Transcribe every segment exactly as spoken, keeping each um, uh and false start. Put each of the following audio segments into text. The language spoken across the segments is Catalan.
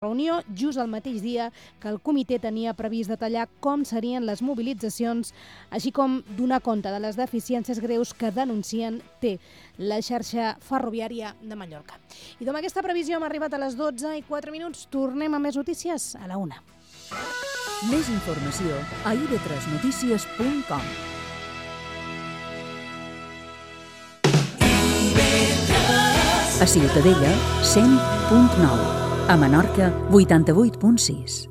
reunió just el mateix dia que el comitè tenia previst detallar com serien les mobilitzacions, així com donar compte de les deficiències greus que denuncien té la xarxa ferroviària de Mallorca. I amb aquesta previsió hem arribat a les dotze i quatre minuts. Tornem a més notícies a la una. Més informació a i ve tres notícies punt com. A Ciutadella, cent punt nou. A Menorca, vuitanta-vuit punt sis.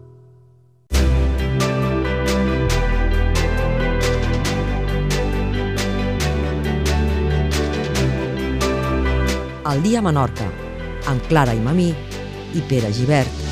El dia a Menorca, amb Clara i Mamí i Pere Gibert.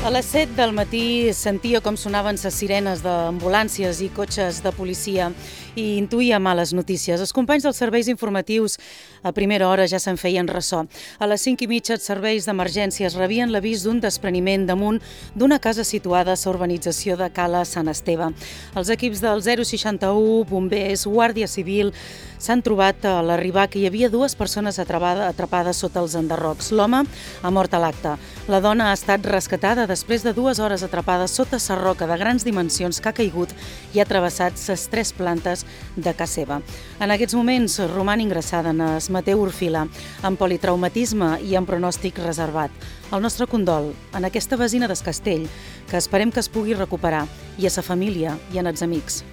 A les set del matí sentia com sonaven les sirenes d'ambulàncies i cotxes de policia i intuïa males notícies. Els companys dels serveis informatius a primera hora ja se'n feien ressò. A les cinc i mitja els serveis d'emergències rebien l'avís d'un despreniment damunt d'una casa situada a la urbanització de Cala Sant Esteve. Els equips del zero seixanta-u, bombers, Guàrdia Civil s'han trobat a l'arribar que hi havia dues persones atrapades sota els enderrocs. L'home ha mort a l'acte. La dona ha estat rescatada després de dues hores atrapada sota la roca de grans dimensions que ha caigut i ha travessat les tres plantes de casa seva. En aquests moments roman ingressada en el Mateu Orfila amb politraumatisme i amb pronòstic reservat. El nostre condol en aquesta vesina del Castell, que esperem que es pugui recuperar, i a sa família i als amics.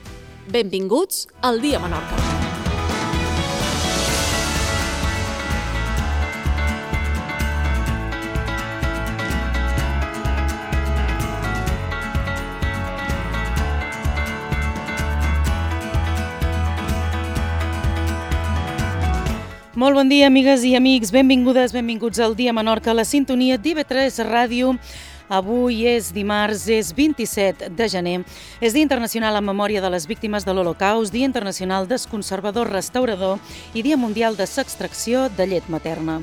Benvinguts al Dia Menorca. Molt bon dia, amigues i amics. Benvingudes, benvinguts al Dia Menorca, a la sintonia d'I ve tres Ràdio. Avui és dimarts, és vint-i-set de gener. És Dia Internacional en memòria de les víctimes de l'Holocaust, Dia Internacional del Conservador Restaurador i Dia Mundial de l'extracció de llet materna.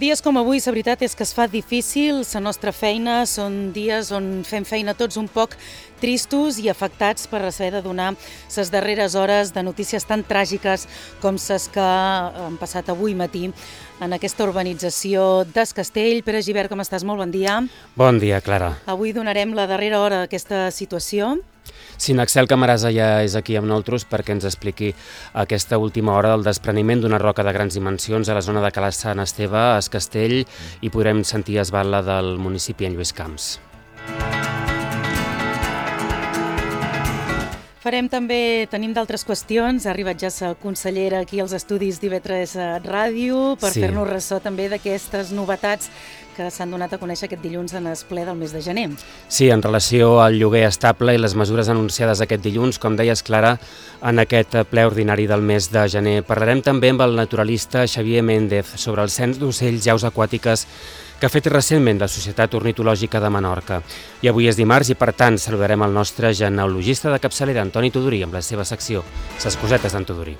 Dies com avui, la veritat és que es fa difícil, la nostra feina, són dies on fem feina tots un poc tristos i afectats per haver de donar les darreres hores de notícies tan tràgiques com les que han passat avui matí en aquesta urbanització del Castell. Pere Gibert, com estàs? Molt bon dia. Bon dia, Clara. Avui donarem la darrera hora d'aquesta situació. Sí, Naxel Camarasa ja és aquí amb nosaltres perquè ens expliqui aquesta última hora del despreniment d'una roca de grans dimensions a la zona de Cala Sant Esteve, a Es Castell, i podrem sentir esbala del municipi en Lluís Camps. Farem també, tenim d'altres qüestions, ha arribat ja la consellera aquí als estudis d'I ve tres Ràdio per sí. fer-nos ressò també d'aquestes novetats que s'han donat a conèixer aquest dilluns en el ple del mes de gener. Sí, en relació al lloguer estable i les mesures anunciades aquest dilluns, com deies, Clara, en aquest ple ordinari del mes de gener. Parlarem també amb el naturalista Xavier Méndez sobre el cens d'ocells i aus aquàtiques que ha fet recentment la Societat Ornitològica de Menorca. I avui és dimarts i, per tant, saludarem el nostre genealogista de capçalera, Antoni Tudurí, amb la seva secció, Les cosetes d'en Tudurí.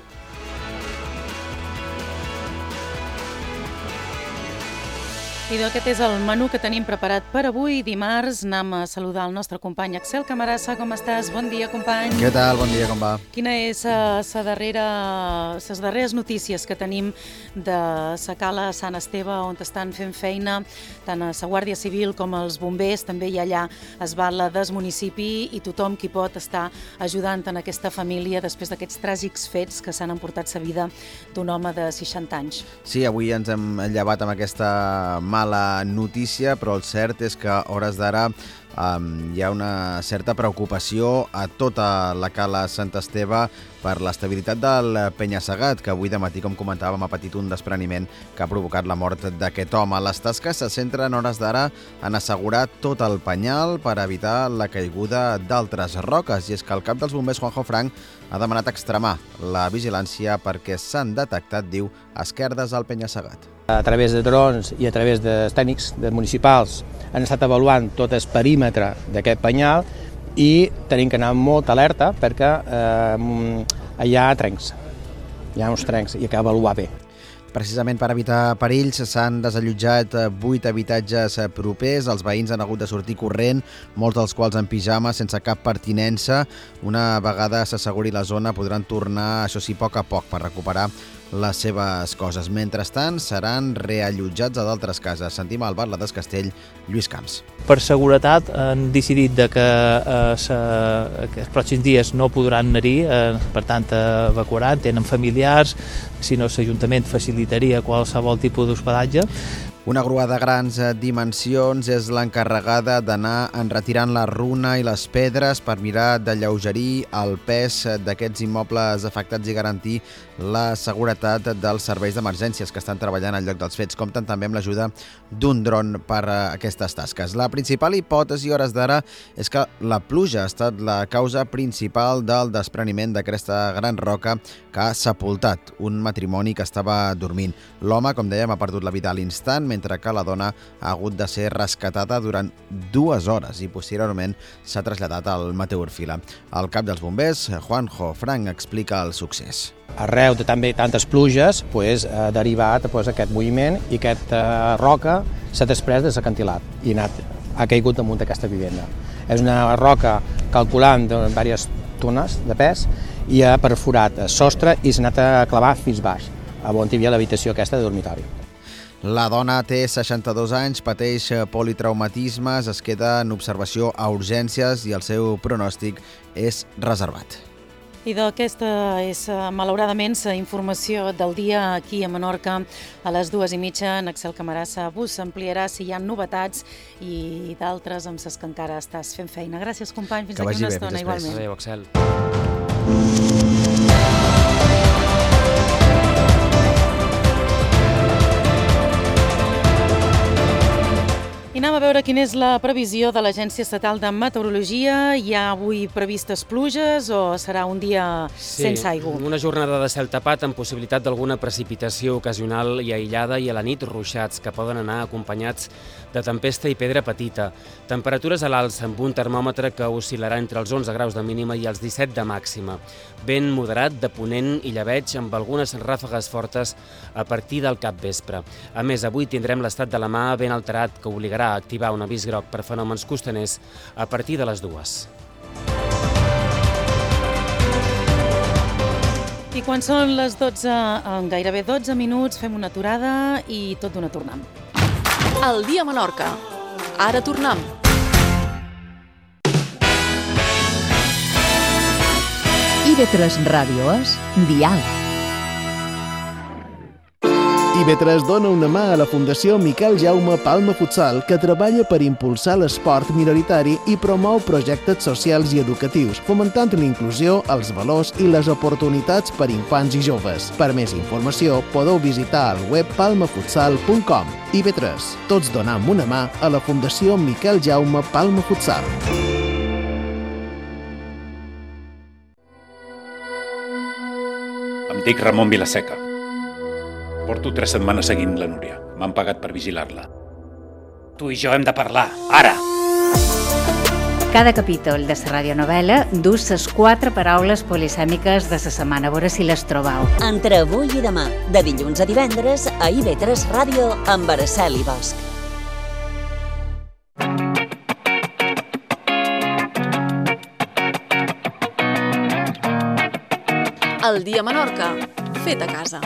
I aquest és el menú que tenim preparat per avui, dimarts. Anem a saludar el nostre company Axel Camarasa. Com estàs? Bon dia, company. Què tal? Bon dia, com va? Quina és uh, sa darrera, les darreres notícies que tenim de la Cala Sant Esteve, on estan fent feina tant a la Guàrdia Civil com els bombers, també hi ha allà esbala del municipi i tothom qui pot estar ajudant en aquesta família després d'aquests tràgics fets que s'han emportat la vida d'un home de seixanta anys. Sí, avui ens hem llevat amb aquesta mala mala notícia, però el cert és que a hores d'ara Um, hi ha una certa preocupació a tota la cala Sant Esteve per l'estabilitat del penya-segat, que avui de matí, com comentàvem, ha patit un despreniment que ha provocat la mort d'aquest home. Les tasques se centren a hores d'ara en assegurar tot el penyal per evitar la caiguda d'altres roques, i és que el cap dels bombers, Juanjo Frank, ha demanat extremar la vigilància perquè s'han detectat, diu, esquerdes al penya-segat. A través de drons i a través de tècnics de municipals han estat avaluant tot el perímetre d'aquest penyal i tenim que anar amb molta alerta perquè eh, hi ha trencs, hi ha uns trencs i cal avaluar bé. Precisament per evitar perills s'han desallotjat vuit habitatges propers. Els veïns han hagut de sortir corrent, molts dels quals en pijama, sense cap pertinença. Una vegada s'asseguri la zona podran tornar, això sí, a poc a poc per recuperar les seves coses. Mentrestant, seran reallotjats a d'altres cases. Sentim al Batlle del Castell, Lluís Camps. Per seguretat han decidit de que, eh, se, que els pròxims dies no podran anar-hi, eh, per tant evacuaran, tenen familiars, si no l'Ajuntament facilitaria qualsevol tipus d'hospedatge. Una grua de grans dimensions és l'encarregada d'anar enretirant la runa i les pedres per mirar d'alleugerir el pes d'aquests immobles afectats i garantir la seguretat dels serveis d'emergències que estan treballant al lloc dels fets. Compten també amb l'ajuda d'un dron per a aquestes tasques. La principal hipòtesi a hores d'ara és que la pluja ha estat la causa principal del despreniment d'aquesta gran roca que ha sepultat un matrimoni que estava dormint. L'home, com dèiem, ha perdut la vida a l'instant, mentre que la dona ha hagut de ser rescatada durant dues hores i posteriorment s'ha traslladat al Mateu Orfila. El cap dels bombers, Juanjo Frank, explica el succés. Arreu de també tantes pluges pues, ha derivat pues, aquest moviment i aquesta roca s'ha desprès de l'acantilat i ha, anat, ha caigut damunt d'aquesta vivenda. És una roca calculant de diverses tones de pes i ha perforat el sostre i s'ha anat a clavar fins baix, on hi havia l'habitació aquesta de dormitori. La dona té seixanta-dos anys, pateix politraumatismes, es queda en observació a urgències i el seu pronòstic és reservat. I d'aquesta és, malauradament, la informació del dia aquí a Menorca. A les dues i mitja, en Axel Camarasa vos ampliarà si hi ha novetats i d'altres amb les que encara estàs fent feina. Gràcies, company. Fins aquí una estona, igualment. Adéu, Axel. I anem a veure quina és la previsió de l'Agència Estatal de Meteorologia. Hi ha avui previstes pluges o serà un dia sí, sense aigua? Una jornada de cel tapat amb possibilitat d'alguna precipitació ocasional i aïllada i a la nit ruixats que poden anar acompanyats de tempesta i pedra petita. Temperatures a l'alça amb un termòmetre que oscil·larà entre els onze graus de mínima i els disset de màxima. Vent moderat de ponent i llebeig amb algunes ràfegues fortes a partir del capvespre. A més, avui tindrem l'estat de la mà ben alterat que obligarà a activar un avís groc per fenòmens costaners a partir de les dues. I quan són les dotze, en gairebé dotze minuts, fem una aturada i tot d'una tornem. El dia a Menorca. Ara tornem. I ve tres Ràdio és Dial. I ve tres dona una mà a la Fundació Miquel Jaume Palma Futsal, que treballa per impulsar l'esport minoritari i promou projectes socials i educatius, fomentant l'inclusió, els valors i les oportunitats per infants i joves. Per més informació, podeu visitar el web palma futsal punt com. I ve tres, tots donam una mà a la Fundació Miquel Jaume Palma Futsal. Em dic Ramon Vilaseca. Porto tres setmanes seguint la Núria. M'han pagat per vigilar-la. Tu i jo hem de parlar, ara! Cada capítol de la radionovela du les quatre paraules polisèmiques de la setmana, a veure si les trobeu. Entre avui i demà, de dilluns a divendres, a I ve tres Ràdio amb Araceli Bosch. El dia a Menorca, fet a casa.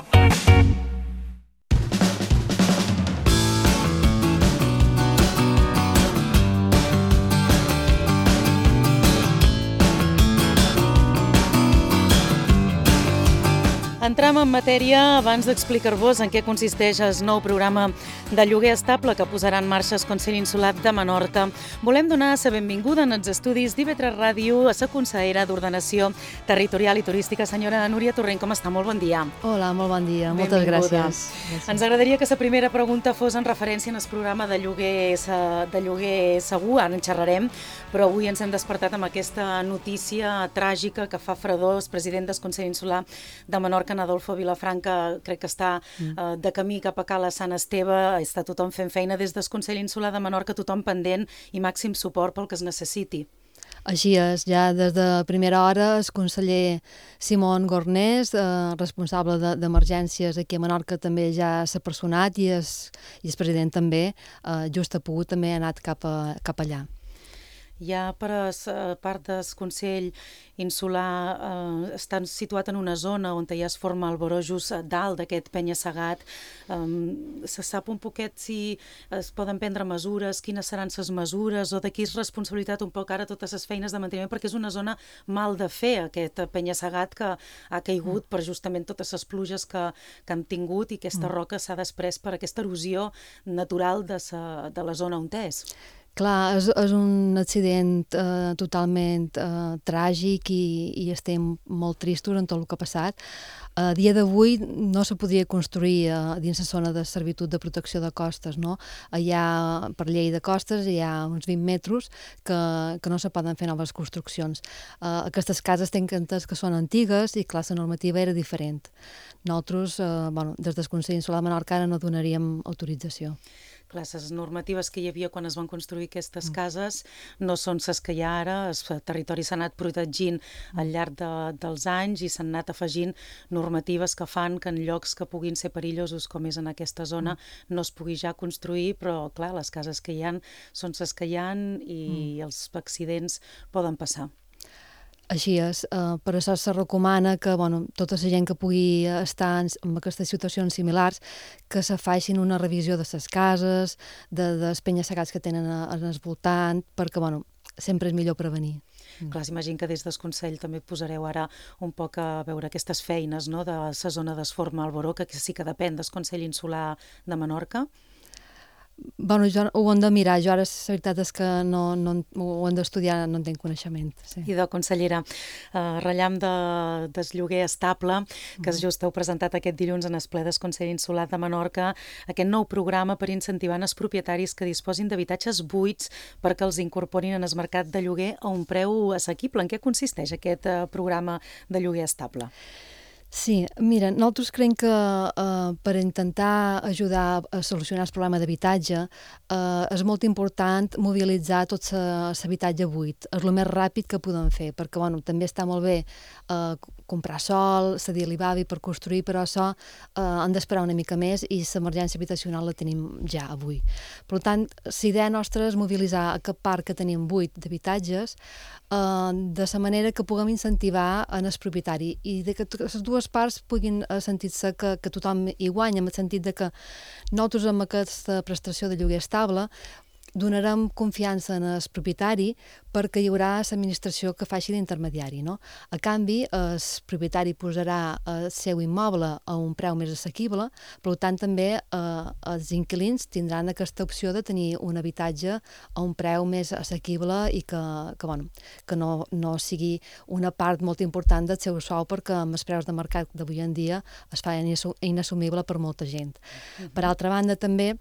Entram en matèria abans d'explicar-vos en què consisteix el nou programa de lloguer estable que posarà en marxa el Consell Insular de Menorca. Volem donar la benvinguda en els estudis d'I V tres Ràdio a la consellera d'Ordenació Territorial i Turística, senyora Núria Torrent. Com està? Molt bon dia. Hola, molt bon dia. Moltes Benvinguda. gràcies. gràcies. Ens agradaria que la primera pregunta fos en referència al programa de lloguer, de lloguer segur, ara en xerrarem, però avui ens hem despertat amb aquesta notícia tràgica que fa fredor. El president del Consell Insular de Menorca, en Adolfo Vilafranca, crec que està eh, de camí cap a Cala Sant Esteve, està tothom fent feina des del Consell Insular de Menorca, tothom pendent i màxim suport pel que es necessiti. Així és, ja des de primera hora el conseller Simón Gornés, eh, responsable d'emergències de, aquí a Menorca, també ja s'ha personat i el president també, eh, just ha pogut, també ha anat cap, a, cap allà. Ja per a la part del Consell Insular eh, està situat en una zona on ja es forma el voró just dalt d'aquest penya-segat. Um, se sap un poquet si es poden prendre mesures, quines seran les mesures o de qui és responsabilitat un poc ara totes les feines de manteniment, perquè és una zona mal de fer, aquest penya-segat que ha caigut mm. per justament totes les pluges que, que hem tingut i aquesta mm. roca s'ha després per aquesta erosió natural de, sa, de la zona on és. Clar, és, és un accident eh, totalment eh, tràgic i, i estem molt tristos en tot el que ha passat. A dia d'avui no se podria construir eh, dins la zona de servitud de protecció de costes, no? Hi ha, per llei de costes, hi ha uns vint metres que, que no se poden fer noves construccions. Eh, aquestes cases tenen entès que són antigues i, clar, la normativa era diferent. Nosaltres, eh, bueno, des del Consell Insular de Menorca, ara no donaríem autorització. Clar, les normatives que hi havia quan es van construir aquestes cases no són les que hi ha ara. El territori s'ha anat protegint al llarg de, dels anys i s'han anat afegint normatives que fan que en llocs que puguin ser perillosos, com és en aquesta zona, no es pugui ja construir, però clar, les cases que hi ha són les que hi ha i mm. els accidents poden passar. Així és, eh, per això se recomana que bueno, tota la gent que pugui estar en, en aquestes situacions similars que se facin una revisió de les cases, de, dels penya-segats que tenen al voltant, perquè bueno, sempre és millor prevenir. Mm. Clar, s'imagina que des del Consell també posareu ara un poc a veure aquestes feines, no?, de la zona d'Esforma al Voró, que sí que depèn del Consell Insular de Menorca. Bueno, jo, ho hem de mirar, jo ara la veritat és que no, no, ho hem d'estudiar, no en tinc coneixement. Sí. I de consellera, uh, rellam de, del lloguer estable, que mm. just heu presentat aquest dilluns en el ple del Consell Insular de Menorca, aquest nou programa per incentivar els propietaris que disposin d'habitatges buits perquè els incorporin en el mercat de lloguer a un preu assequible. En què consisteix aquest uh, programa de lloguer estable? Sí, mira, nosaltres creiem que eh, per intentar ajudar a solucionar el problema d'habitatge eh, és molt important mobilitzar tot l'habitatge buit, és el més ràpid que podem fer, perquè bueno, també està molt bé eh, comprar sol, cedir a l'I B A B I per construir, però això eh, han d'esperar una mica més i l'emergència habitacional la tenim ja avui. Per tant, la idea nostra és mobilitzar aquest parc que tenim buit d'habitatges eh, de la manera que puguem incentivar en el propietari i de que les dues parts puguin sentir-se que, que tothom hi guanya, en el sentit de que nosaltres amb aquesta prestació de lloguer estable donarem confiança en el propietari perquè hi haurà l'administració que faci d'intermediari, no? A canvi, el propietari posarà el seu immoble a un preu més assequible, per tant també eh, els inquilins tindran aquesta opció de tenir un habitatge a un preu més assequible i que, que, bueno, que no, no sigui una part molt important del seu sou, perquè amb els preus de mercat d'avui en dia es fa inassumible per molta gent. Mm-hmm. Per altra banda, també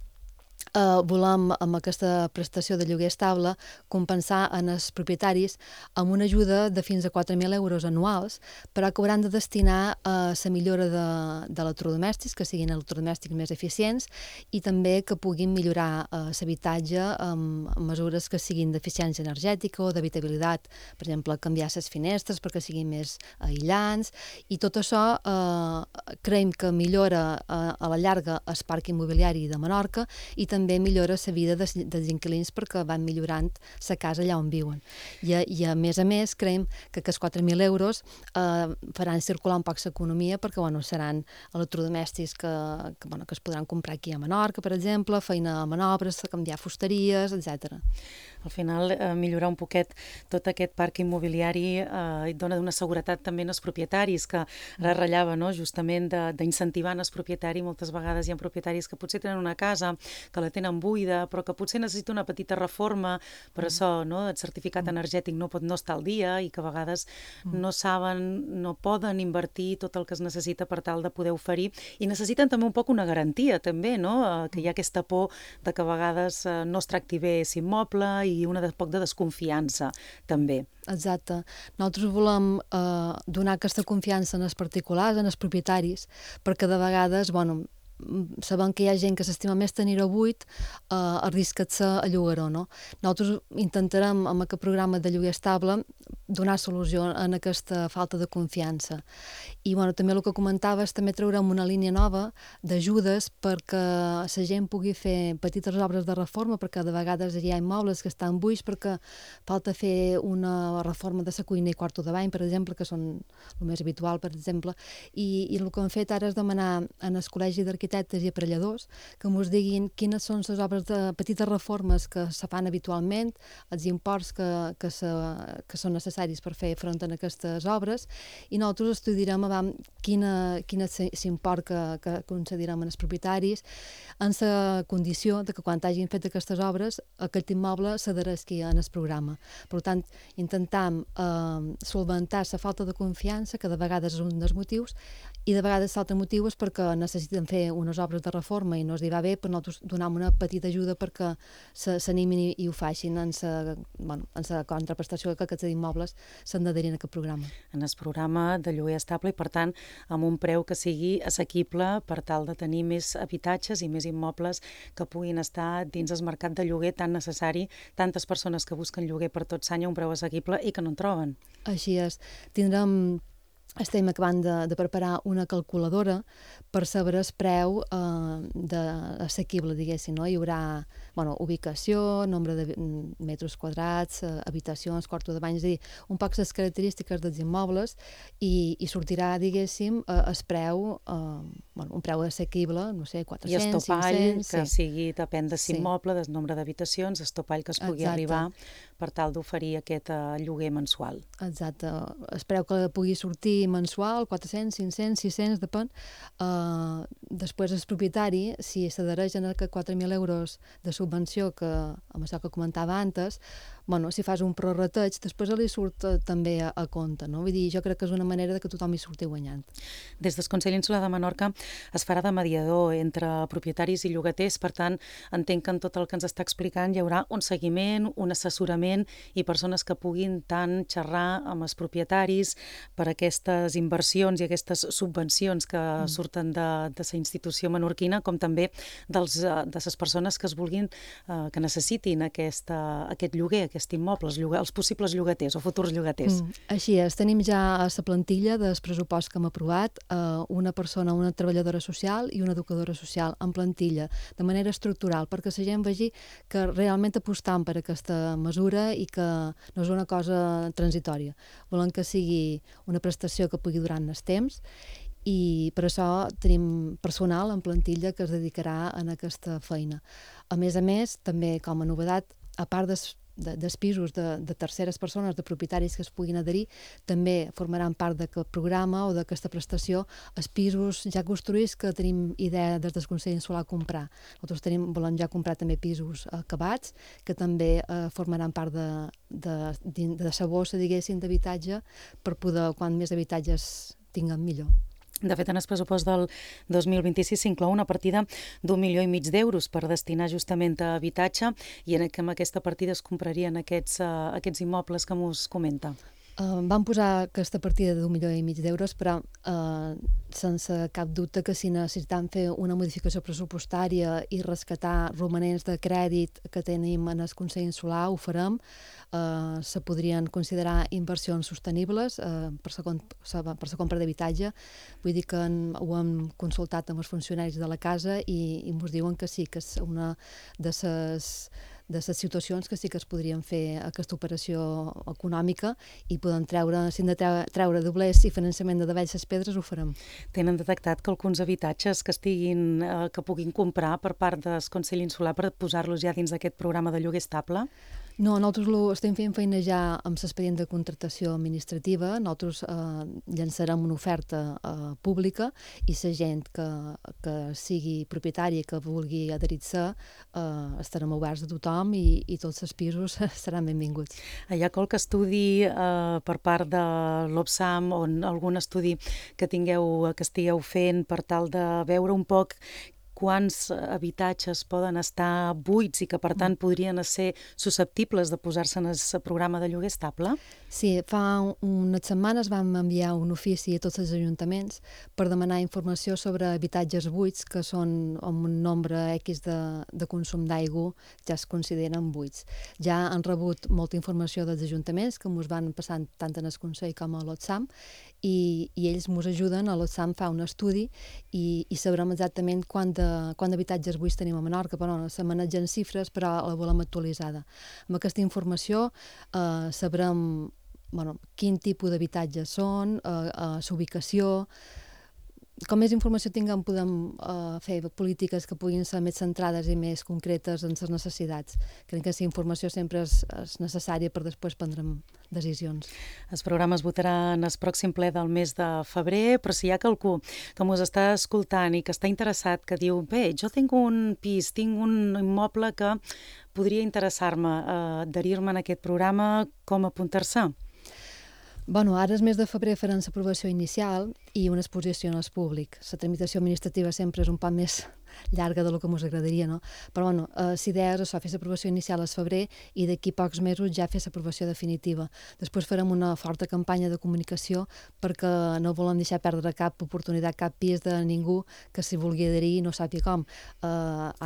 Uh, volem, amb aquesta prestació de lloguer estable, compensar en els propietaris amb una ajuda de fins a quatre mil euros anuals, però que hauran de destinar a la millora de, de electrodomèstics, que siguin electrodomèstics més eficients, i també que puguin millorar uh, l'habitatge amb, amb mesures que siguin d'eficiència energètica o d'habitabilitat, per exemple, canviar les finestres perquè siguin més aïllants, i tot això uh, creiem que millora uh, a la llarga el parc immobiliari de Menorca i també també millora la vida dels, dels inquilins perquè van millorant la casa allà on viuen. I, i a més a més, creiem que aquests quatre mil euros eh, faran circular un poc l'economia perquè bueno, seran electrodomèstics que, que, bueno, que es podran comprar aquí a Menorca, per exemple, feina a manobres, canviar fusteries, etcètera. Al final, eh, millorar un poquet tot aquest parc immobiliari eh, dona una seguretat també als propietaris, que ara ratllava, no?, justament d'incentivar els propietaris. Moltes vegades hi ha propietaris que potser tenen una casa, que la tenen buida, però que potser necessita una petita reforma, per mm. això, no?, el certificat mm. energètic no pot no estar al dia i que a vegades mm. no saben, no poden invertir tot el que es necessita per tal de poder oferir, i necessiten també un poc una garantia, també, no?, eh, que hi ha aquesta por de que a vegades eh, no es tracti bé l'immoble i una de poc de desconfiança, també. Exacte. Nosaltres volem eh, donar aquesta confiança en els particulars, en els propietaris, perquè de vegades, bueno, sabem que hi ha gent que s'estima més tenir-ho buit, eh, arrisca-se a llogar-ho, no? Nosaltres intentarem, amb aquest programa de lloguer estable, donar solució en aquesta falta de confiança. I bueno, també el que comentaves, també traurem una línia nova d'ajudes perquè la gent pugui fer petites obres de reforma, perquè de vegades hi ha immobles que estan buits perquè falta fer una reforma de la cuina i quarto de bany, per exemple, que són el més habitual, per exemple, i, i el que hem fet ara és demanar en el Col·legi d'Arquitectes i Aparelladors que ens diguin quines són les obres de petites reformes que se fan habitualment, els imports que, que, se, que són necessaris per fer front a aquestes obres, i nosaltres estudiarem abans quina, quina s'import que, que concedirem als propietaris en la condició de que quan hagin fet aquestes obres aquest immoble s'adhereixi en el programa. Per tant, intentam eh, solventar la falta de confiança, que de vegades és un dels motius, i de vegades l'altre motiu és perquè necessiten fer unes obres de reforma i no es va bé, però nosaltres donem una petita ajuda perquè s'animin i, i ho facin en la bueno, contraprestació que aquests immobles s'han d'adherir a aquest programa. En el programa de lloguer estable i, per tant, amb un preu que sigui assequible per tal de tenir més habitatges i més immobles que puguin estar dins el mercat de lloguer tan necessari, tantes persones que busquen lloguer per tot l'any a un preu assequible i que no en troben. Així és. Tindrem estem acabant de, de preparar una calculadora per saber el preu eh, de assequible, diguéssim, no? Hi haurà bueno, ubicació, nombre de metres quadrats, eh, habitacions, quarto de bany, és a dir, un poc les característiques dels immobles i, i sortirà, diguéssim, eh, el preu, eh, bueno, un preu assequible, no sé, quatre-cents, cinc-cents... I estopall, cinc-cents, que sí. sigui, depèn de l'immoble, sí. del nombre d'habitacions, estopall que es pugui Exacte. Arribar per tal d'oferir aquest uh, lloguer mensual. Exacte. El preu que pugui sortir mensual, quatre-cents, cinc-cents, sis-cents, depèn. Uh, després el propietari, si s'adhereix a aquests quatre mil euros de subvenció, que amb això que comentava antes, bueno, si fas un prorrateig, després li surt uh, també a, a compte, no? Vull dir, jo crec que és una manera de que tothom hi surti guanyant. Des del Consell Insular de Menorca es farà de mediador entre propietaris i llogaters, per tant, entenc que en tot el que ens està explicant hi haurà un seguiment, un assessorament i persones que puguin tant xerrar amb els propietaris per aquestes inversions i aquestes subvencions que mm. surten de, de la institució menorquina, com també dels, de les persones que es vulguin, eh, que necessitin aquesta, aquest lloguer, aquest immoble, els, lloga, els possibles llogaters o futurs llogaters. Mm. Així és, tenim ja a la plantilla del pressupost que hem aprovat eh, una persona, una treballadora social i una educadora social en plantilla, de manera estructural, perquè la gent vegi que realment apostam per aquesta mesura i que no és una cosa transitòria. Volem que sigui una prestació que pugui durar en el temps i per això tenim personal en plantilla que es dedicarà a aquesta feina. A més a més, també com a novetat, a part des De, dels pisos de, de terceres persones, de propietaris que es puguin adherir, també formaran part d'aquest programa o d'aquesta prestació els pisos ja construïts que tenim idea des del Consell Insular comprar. Nosaltres tenim, volem ja comprar també pisos acabats que també eh, formaran part de, de, de, de sa bossa, diguéssim, d'habitatge per poder, quan més habitatges tinguem, millor. De fet, en el pressupost del dos mil vint-i-sis s'inclou una partida d'un milió i mig d'euros per destinar justament a habitatge i en, amb aquesta partida es comprarien aquests, uh, aquests immobles que mos comenta. Uh, van posar aquesta partida d'un milió i mig d'euros, però uh, sense cap dubte que si necessitem fer una modificació pressupostària i rescatar romanents de crèdit que tenim en el Consell Insular, ho farem. Uh, se podrien considerar inversions sostenibles uh, per la compra d'habitatge. Vull dir que en, ho hem consultat amb els funcionaris de la casa i, i ens diuen que sí, que és una de les de les situacions que sí que es podrien fer aquesta operació econòmica i podem treure, si hem de treure, treure doblers i finançament de Davall les Pedres, ho farem. Tenen detectat que alguns habitatges que estiguin, eh, que puguin comprar per part del Consell Insular per posar-los ja dins d'aquest programa de lloguer estable? No, nosaltres ho estem fent feina ja amb l'expedient de contractació administrativa. Nosaltres eh, llançarem una oferta eh, pública i la gent que, que sigui propietària i que vulgui adherir-se eh, estarem oberts a tothom i, i tots els pisos seran benvinguts. Hi ha qualque estudi eh, per part de l'Obsam o algun estudi que tingueu, que estigueu fent per tal de veure un poc quants habitatges poden estar buits i que, per tant, podrien ser susceptibles de posar-se en el programa de lloguer estable? Sí, fa unes setmanes vam enviar un ofici a tots els ajuntaments per demanar informació sobre habitatges buits que són amb un nombre X de, de consum d'aigua ja es consideren buits. Ja han rebut molta informació dels ajuntaments que ens van passant tant en el Consell com a l'Otsam i, i ells ens ajuden, a l'Otsam fa un estudi i, i sabrem exactament quant de quant d'habitatges buits tenim a Menorca, però no, se manegen xifres, però la volem actualitzada. Amb aquesta informació eh, sabrem bueno, quin tipus d'habitatges són, eh, eh, l'ubicació. Com més informació tinguem, podem uh, fer polítiques que puguin ser més centrades i més concretes en les necessitats. Crec que aquesta informació sempre és, és necessària per després prendre decisions. El programa es votarà en el pròxim ple del mes de febrer, però si hi ha qualcú que ens està escoltant i que està interessat, que diu, bé, jo tinc un pis, tinc un immoble que podria interessar-me, eh, adherir-me en aquest programa, com apuntar-se? Bueno, ara el mes de febrer faran l'aprovació inicial i una exposició al públic. La tramitació administrativa sempre és un poc més llarga del que ens agradaria, no? Però, bueno, eh, l'idea és això, fer l'aprovació inicial al febrer i d'aquí pocs mesos ja fer l'aprovació definitiva. Després farem una forta campanya de comunicació perquè no volem deixar perdre cap oportunitat, cap pis de ningú que s'hi vulgui adherir i no sàpiga com. Eh,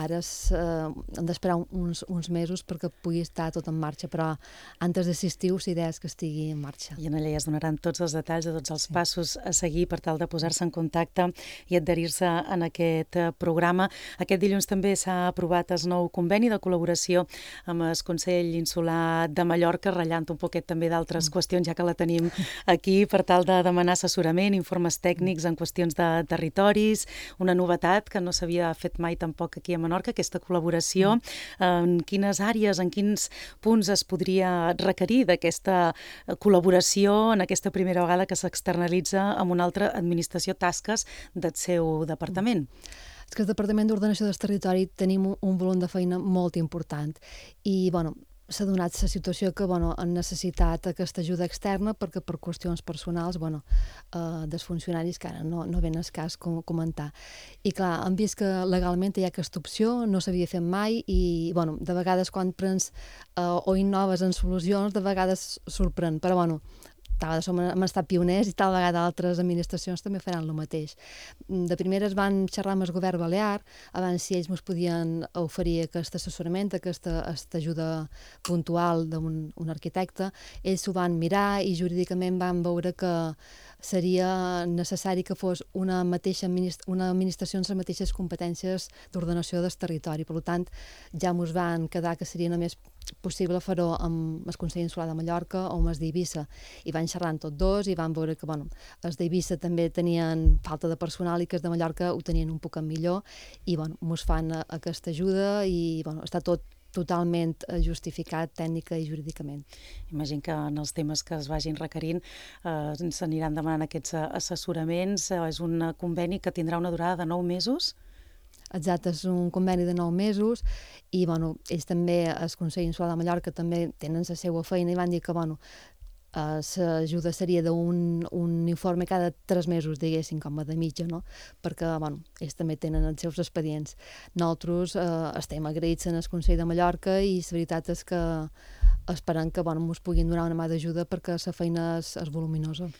ara eh, hem d'esperar uns, uns mesos perquè pugui estar tot en marxa, però antes de l'estiu l'idea és que estigui en marxa. I en allà ja es donaran tots els detalls de tots els sí. passos a seguir per tal de posar-se en contacte i adherir-se en aquest programa. Aquest dilluns també s'ha aprovat el nou conveni de col·laboració amb el Consell Insular de Mallorca, ratllant un poquet també d'altres mm. qüestions, ja que la tenim aquí, per tal de demanar assessorament, informes tècnics en qüestions de territoris, una novetat que no s'havia fet mai tampoc aquí a Menorca, aquesta col·laboració. Mm. En quines àrees, en quins punts es podria requerir d'aquesta col·laboració en aquesta primera vegada que s'externalitza amb una altra administració tasques del seu departament? És que el Departament d'Ordenació del Territori tenim un volum de feina molt important i, bueno, s'ha donat la situació que, bueno, han necessitat aquesta ajuda externa perquè per qüestions personals, bueno, eh, dels funcionaris que ara no, no ven el cas com, comentar. I clar, hem vist que legalment hi ha aquesta opció, no s'havia fet mai i, bueno, de vegades quan prens eh, o innoves en solucions, de vegades sorprèn, però, bueno, tal vegada som, hem estat pioners i tal vegada altres administracions també faran el mateix. De primeres van xerrar amb el govern balear, abans si ells ens podien oferir aquest assessorament, aquesta, aquesta ajuda puntual d'un un arquitecte. Ells ho van mirar i jurídicament van veure que seria necessari que fos una, mateixa administ una administració amb les mateixes competències d'ordenació del territori. Per tant, ja ens van quedar que seria només possible fer-ho amb el Consell Insular de Mallorca o amb els d'Eivissa. I van xerrant tots dos i van veure que, bueno, els d'Eivissa també tenien falta de personal i que els de Mallorca ho tenien un poc millor i, bueno, ens fan aquesta ajuda i, bueno, està tot totalment justificat tècnica i jurídicament. Imagino que en els temes que es vagin requerint eh, s'aniran demanant aquests assessoraments. És un conveni que tindrà una durada de nou mesos? Exacte, és un conveni de nou mesos i, bueno, ells també, el Consell Insular de Mallorca, també tenen la seva feina i van dir que, bueno, l'ajuda seria d'un un informe cada tres mesos, diguéssim, com a de mitja, no? Perquè, bueno, ells també tenen els seus expedients. Nosaltres eh, estem agraïts en el Consell de Mallorca i la veritat és que esperant que bueno, ens puguin donar una mà d'ajuda perquè la feina és, és voluminosa.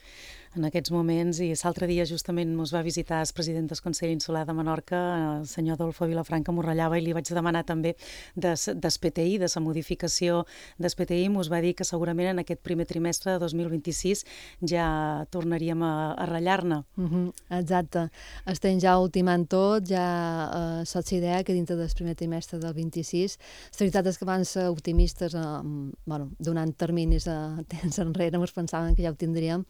En aquests moments, i l'altre dia justament ens va visitar el president del Consell Insular de Menorca, el senyor Adolfo Vilafranca, m'ho ratllava i li vaig demanar també del P T I, de la modificació del P T I, ens va dir que segurament en aquest primer trimestre de dos mil vint-i-sis ja tornaríem a, a ratllar-ne. Uh -huh, exacte. Estem ja ultimant tot, ja eh, saps idea que dintre del primer trimestre del vint-i-sis, la veritat és que van ser optimistes, eh, bueno, donant terminis a temps enrere, ens pensaven que ja ho tindríem,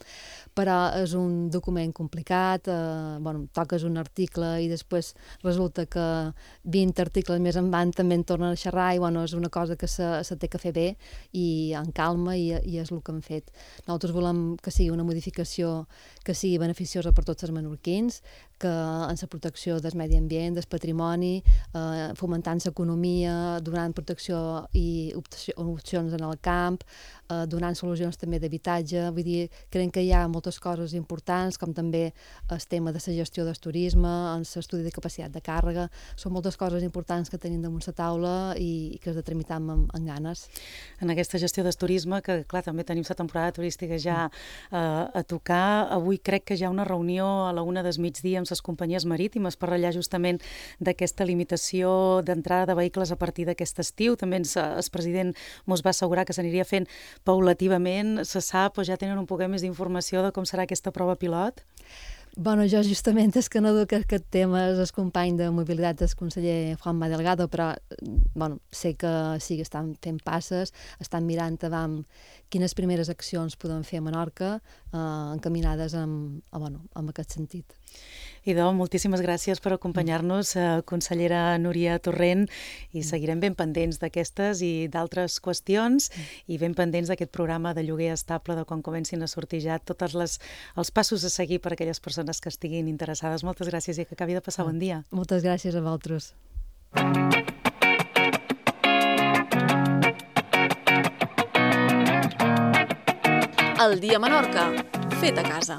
però és un document complicat, eh, bueno, toques un article i després resulta que vint articles més en van també en tornen a xerrar i bueno, és una cosa que se, se té que fer bé i en calma i, i és el que hem fet. Nosaltres volem que sigui una modificació que sigui beneficiosa per tots els menorquins, que en la protecció del medi ambient, del patrimoni, eh, fomentant l'economia, donant protecció i opcions en el camp, eh, donant solucions també d'habitatge. Vull dir, creiem que hi ha moltes coses importants, com també el tema de la gestió del turisme, en l'estudi de capacitat de càrrega. Són moltes coses importants que tenim damunt la taula i, i que has de tramitar amb, amb ganes. En aquesta gestió del turisme, que clar, també tenim la temporada turística ja eh, a tocar, avui crec que hi ha una reunió a la una del migdia amb les companyies marítimes per ratllar justament d'aquesta limitació d'entrada de vehicles a partir d'aquest estiu. També ens, el president ens va assegurar que s'aniria fent paulativament. Se sap o ja tenen un poc més d'informació de com serà aquesta prova pilot? Bueno, jo justament és que no duc aquest tema és el company de mobilitat del conseller Juanma Delgado, però bueno, sé que sí que estan fent passes, estan mirant avant quines primeres accions podem fer a Menorca eh, encaminades en, bueno, en aquest sentit. Idò, moltíssimes gràcies per acompanyar-nos, eh, consellera Núria Torrent, i seguirem ben pendents d'aquestes i d'altres qüestions i ben pendents d'aquest programa de lloguer estable de quan comencin a sortir ja tots les, els passos a seguir per a aquelles persones que estiguin interessades. Moltes gràcies i que acabi de passar bon dia. Moltes gràcies a vosaltres. El dia a Menorca, fet a casa.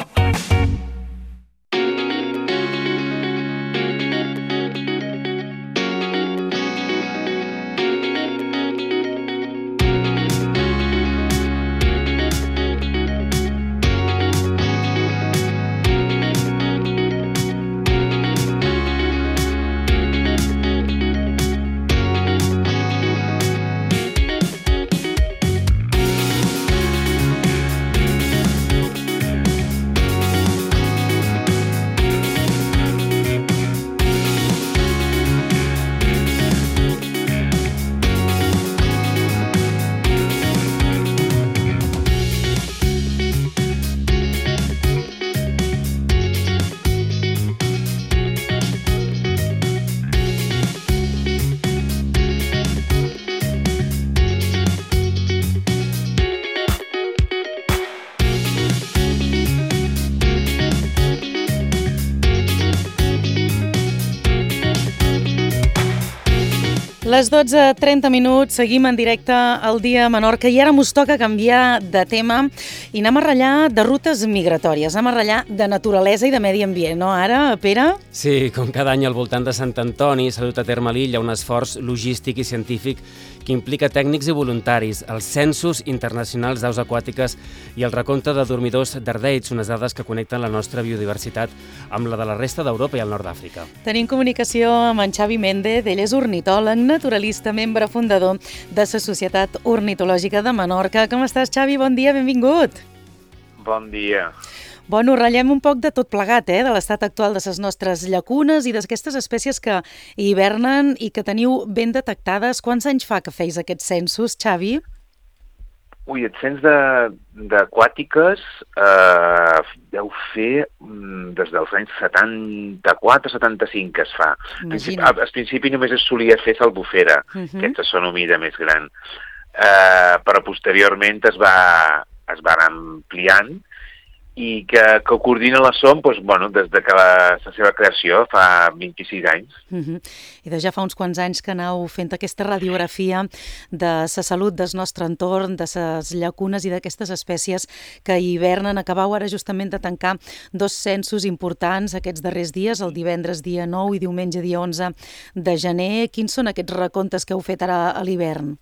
Les dotze trenta minuts, seguim en directe al Dia a Menorca i ara mos toca canviar de tema i anem a ratllar de rutes migratòries, anem a ratllar de naturalesa i de medi ambient, no ara, Pere? Sí, com cada any al voltant de Sant Antoni s'ha dut a terme a l'illa un esforç logístic i científic que implica tècnics i voluntaris, els censos internacionals d'aus aquàtiques i el recompte de dormidors d'ardeids, unes dades que connecten la nostra biodiversitat amb la de la resta d'Europa i el nord d'Àfrica. Tenim comunicació amb en Xavi Méndez, ell és ornitòleg, naturalista, membre fundador de la Societat Ornitològica de Menorca. Com estàs, Xavi? Bon dia, benvingut. Bon dia. Bueno, ratllem un poc de tot plegat, eh? De l'estat actual de les nostres llacunes i d'aquestes espècies que hivernen i que teniu ben detectades. Quants anys fa que feis aquests censos, Xavi? Ui, el cens d'aquàtiques eh, deu fer mm, des dels anys setanta-quatre setanta-cinc que es fa. Imagina. Al principi només es solia fer salbufera, Uh-huh. aquesta són una mida més gran, eh, però posteriorment es va, es va anar ampliant i que, que coordina la S O M doncs, bueno, des de que la, la seva creació fa vint-i-sis anys. Uh-huh. I de ja fa uns quants anys que aneu fent aquesta radiografia de la salut del nostre entorn, de les llacunes i d'aquestes espècies que hivernen. Acabau ara justament de tancar dos censos importants aquests darrers dies, el divendres dia nou i diumenge dia onze de gener. Quins són aquests recomptes que heu fet ara a l'hivern?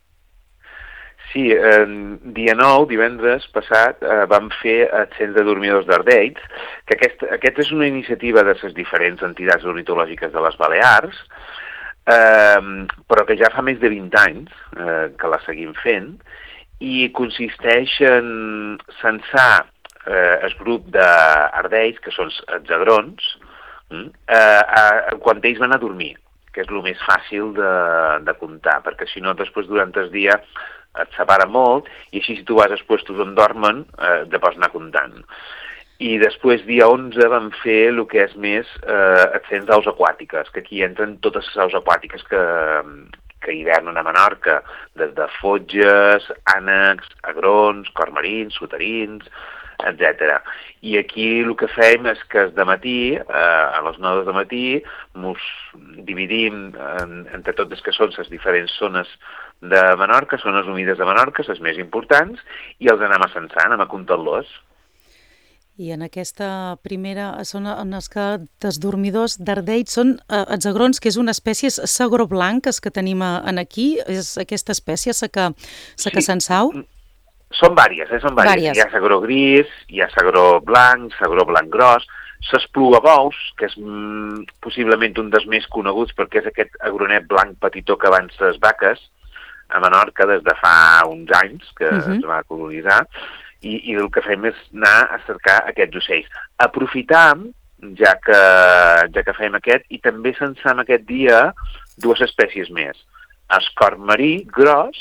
Sí, eh, dia nou, divendres passat, eh, vam fer el Cens de Dormidors d'Ardells, que aquest, aquest és una iniciativa de les diferents entitats ornitològiques de les Balears, eh, però que ja fa més de vint anys eh, que la seguim fent, i consisteix en censar eh, el grup d'Ardells, que són els agrons, eh, eh, quan ells van a dormir, que és el més fàcil de, de comptar, perquè si no, després, durant el dia, et separa molt, i així si tu vas als puestos on dormen, eh, te pots anar comptant. I després, dia onze, vam fer el que és més eh, el cens d'aus aquàtiques, que aquí entren totes les aus aquàtiques que, que hivernen a Menorca, des de fotges, ànecs, agrons, cormarins, soterins, etcètera. I aquí el que fem és que de matí, eh, a les nou de matí, ens dividim en, entre totes que són les diferents zones de Menorca, zones humides de Menorca, les més importants, i els anem a censar, anem a comptar-los. I en aquesta primera zona en els que els dormidors d'Ardells són eh, els agrons, que és una espècie sagró blanc que tenim en aquí, és aquesta espècie la que, la que censau? Són vàries, eh? Són vàries. Vàries. Hi ha sagró gris, hi ha sagró blanc, sagró blanc gros, s'esplugabous, que és mm, possiblement un dels més coneguts perquè és aquest agronet blanc petitó que abans les vaques a Menorca des de fa uns anys que uh-huh. es va colonitzar, i, i el que fem és anar a cercar aquests ocells. Aprofitam, ja que, ja que fem aquest, i també censam aquest dia dues espècies més. El cormarí gros,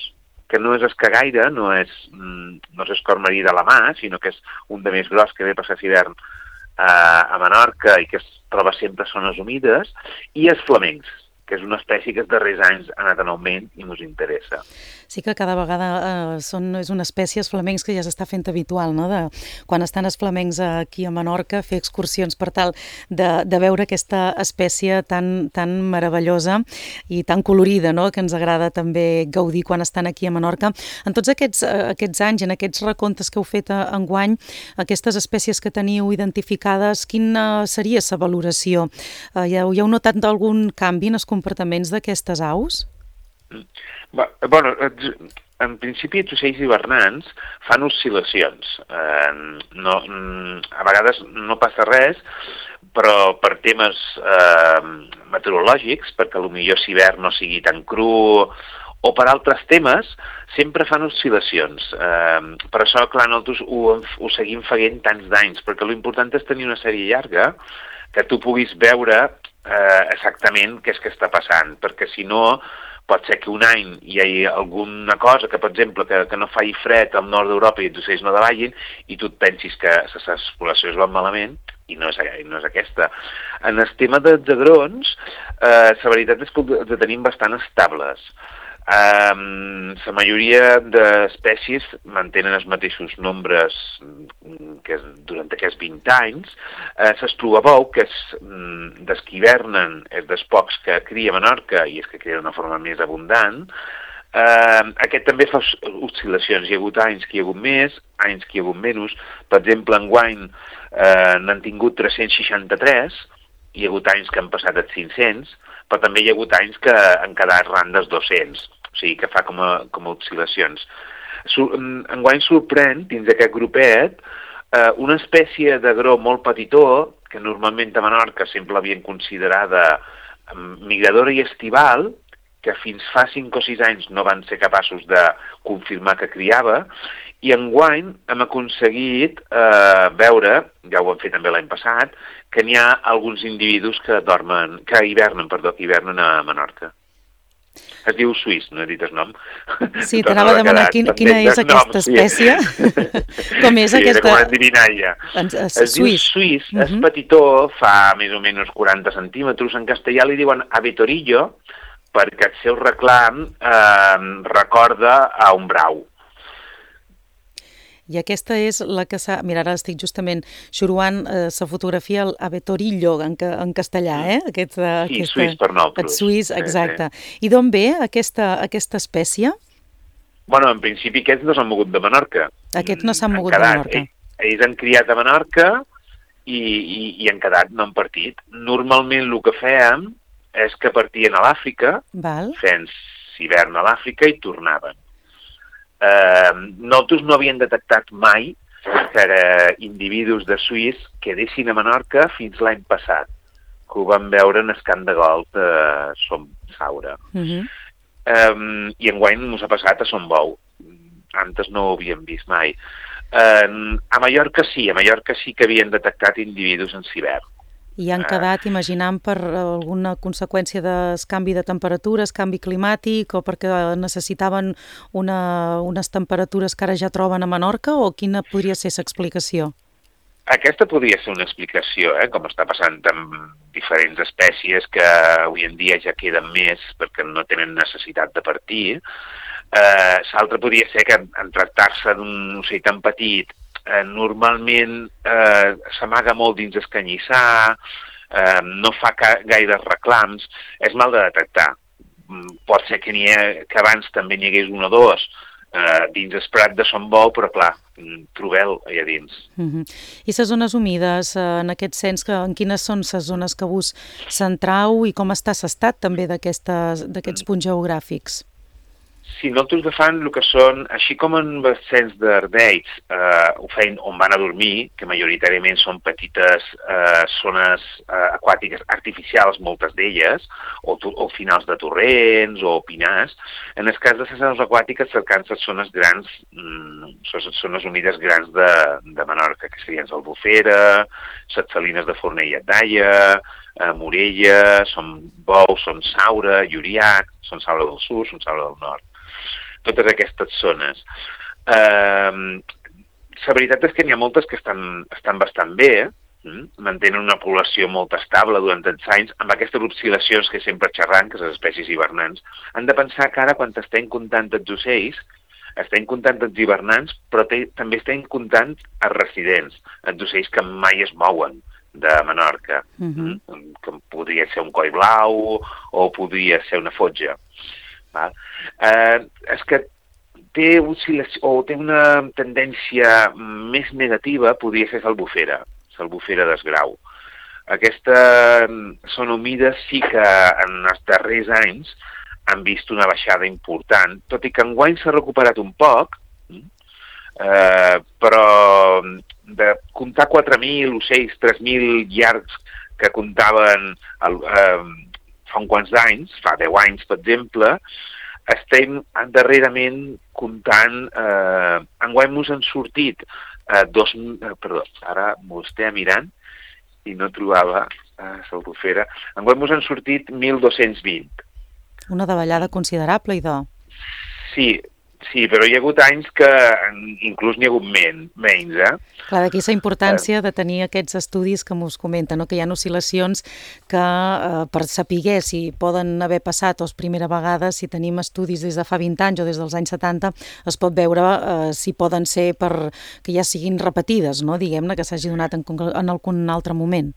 que no és escagaire, no és, no és el cormarí de la mà, sinó que és un de més gros que ve a passar l'hivern eh, a Menorca i que es troba sempre a zones humides, i els flamencs, que és una espècie que els darrers anys ha anat en augment i ens interessa. Sí que cada vegada eh, són, és una espècie, els flamencs, que ja s'està fent habitual, no? De, quan estan els flamencs aquí a Menorca, fer excursions per tal de, de veure aquesta espècie tan, tan meravellosa i tan colorida, no? Que ens agrada també gaudir quan estan aquí a Menorca. En tots aquests, aquests anys, en aquests recomptes que heu fet enguany, aquestes espècies que teniu identificades, quina seria la valoració? Eh, ja, ja heu notat algun canvi en els comportaments d'aquestes aus? Bueno, en principi els ocells hivernants fan oscil·lacions. Eh, no, a vegades no passa res, però per temes eh, meteorològics, perquè potser l'hivern no sigui tan cru, o per altres temes, sempre fan oscil·lacions. Eh, per això, clar, nosaltres ho, ho seguim fent tants d'anys, perquè l'important és tenir una sèrie llarga que tu puguis veure eh, exactament què és que està passant, perquè si no pot ser que un any hi hagi alguna cosa que, per exemple, que, que no faci fred al nord d'Europa i els ocells no davallin i tu et pensis que les poblacions van malament i no és, no és aquesta. En el tema dels agrons, eh, la veritat és que els tenim bastant estables. Eh, la majoria d'espècies mantenen els mateixos nombres que durant aquests vint anys. Eh, L'esplugabou, que és dels que hivernen, és dels pocs que cria a Menorca i és que cria d'una forma més abundant. Eh, aquest també fa oscil·lacions. Hi ha hagut anys que hi ha hagut més, anys que hi ha hagut menys. Per exemple, enguany eh, n'han tingut tres-cents seixanta-tres, hi ha hagut anys que han passat els cinc-cents, però també hi ha hagut anys que han quedat ran dels dos-cents. O sigui, que fa com a, com a oscil·lacions. Enguany sorprèn, dins d'aquest grupet, eh, una espècie d'agró molt petitó, que normalment a Menorca sempre l'havien considerada migradora i estival, que fins fa cinc o sis anys no van ser capaços de confirmar que criava, i enguany hem aconseguit eh, veure, ja ho hem fet també l'any passat, que n'hi ha alguns individus que dormen, que hivernen, perdó, que hivernen a Menorca. Es diu suís, no he dit el nom. Sí, t'anava a demanar quin, quina és aquesta espècie. Sí. Com és sí, aquesta? Com una endivinalla. Es, es diu suís, uh -huh. És petitó, fa més o menys quaranta centímetres. En castellà li diuen abetorillo, perquè el seu reclam eh, recorda a un brau. I aquesta és la que s'ha... Mira, ara estic justament xuruant eh, la fotografia, el abetorillo, en, en castellà, eh? Aquest, sí, aquesta, suís per nosaltres. El suís, exacte. Sí, sí. I d'on ve aquesta, aquesta espècie? Bueno, en principi aquests no s'han mogut de Menorca. Aquests no s'han mogut de Menorca. Ells, ells han criat a Menorca i, i, i han quedat, no han partit. Normalment el que fèiem és que partien a l'Àfrica, fent hivern a l'Àfrica i tornaven. Eh, nosaltres no havíem detectat mai que eh, individus de suís quedessin a Menorca fins l'any passat, que ho vam veure en Escant de Gol de Som Saura. Uh-huh. Um, I enguany ens ha passat a Son Bou. Antes no ho havíem vist mai. Uh, a Mallorca sí, a Mallorca sí que havien detectat individus en cibern. I han quedat, imaginant, per alguna conseqüència del canvi de temperatures, canvi climàtic, o perquè necessitaven una, unes temperatures que ara ja troben a Menorca, o quina podria ser l'explicació? Aquesta podria ser una explicació, eh? Com està passant amb diferents espècies que avui en dia ja queden més perquè no tenen necessitat de partir. Eh, L'altre podria ser que en tractar-se d'un ocell tan petit, eh, normalment eh, s'amaga molt dins el canyissar, eh, no fa gaires reclams, és mal de detectar. Pot ser que, ha, que abans també n'hi hagués un o dos eh, dins el prat de Son Bou, però clar, trobeu allà dins. Uh-huh. I les zones humides, eh, en aquest sens, que, en quines són les zones que vos centrau i com està l'estat també d'aquests punts geogràfics? Si nosaltres agafant el que són, així com en vessents d'Ardells, eh, ho feien on van a dormir, que majoritàriament són petites eh, zones eh, aquàtiques artificials, moltes d'elles, o, o finals de torrents o pinars, en el cas de les zones aquàtiques cercant les zones grans, mm, les zones humides grans de, de Menorca, que serien l'Albufera, les Salines de Fornell i Daia, eh, Morella, Son Bou, Son Saura, Lluriac, Son Saura del Sud, Son Saura del Nord. Totes aquestes zones. Eh, la veritat és que n'hi ha moltes que estan, estan bastant bé, eh? Mantenen una població molt estable durant els anys, amb aquestes oscil·lacions que sempre xerran, que les espècies hivernants. Han de pensar que ara, quan estem comptant els ocells, estem comptant els hivernants, però te, també estem comptant els residents, els ocells que mai es mouen de Menorca, uh-huh. que podria ser un coi blau o podria ser una fotja. Val? Eh, és que té, o té una tendència més negativa, podria ser l'Albufera, l'Albufera d'Esgrau. Aquesta zona humida sí que en els darrers anys han vist una baixada important, tot i que enguany s'ha recuperat un poc, eh, però de comptar quatre mil ocells, tres mil llargs que comptaven el, eh, fa uns quants anys, fa deu anys, per exemple, estem darrerament comptant, eh, enguany mos han sortit eh, dos, eh, perdó, ara m'ho estic mirant i no trobava eh, l'Albufera, enguany mos han sortit mil dos-cents vint. Una davallada considerable, idò. Sí, sí, però hi ha hagut anys que inclús n'hi ha hagut men, menys, eh? Clar, d'aquí la importància de tenir aquests estudis que mos comenten, no? Que hi ha oscil·lacions que eh, per saber si poden haver passat o és primera vegada, si tenim estudis des de fa vint anys o des dels anys setanta, es pot veure eh, si poden ser per que ja siguin repetides, no? Diguem-ne, que s'hagi donat en, en algun altre moment.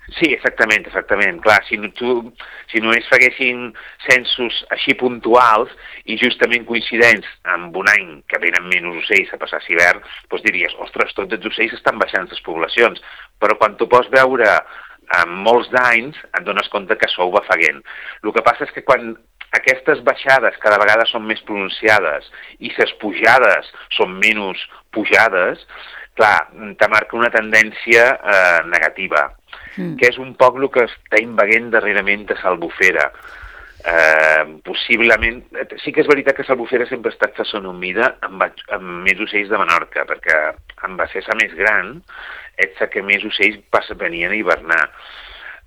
Sí, exactament, exactament. Clar, si, no, tu, si només faguessin censos així puntuals i justament coincidents amb un any que venen menys ocells a passar l'hivern, doncs diries, ostres, tots els ocells estan baixant les poblacions. Però quan tu pots veure en molts d'anys, et dones compte que sou bafeguent. El que passa és que quan aquestes baixades cada vegada són més pronunciades i les pujades són menys pujades, clar, te marca una tendència eh, negativa. Mm. Que és un poc el que està invaguent darrerament de l'Albufera. Eh, possiblement, sí que és veritat que l'Albufera sempre ha estat la zona humida amb, amb més ocells de Menorca, perquè amb la cessa més gran és la que més ocells passa, venien a hivernar.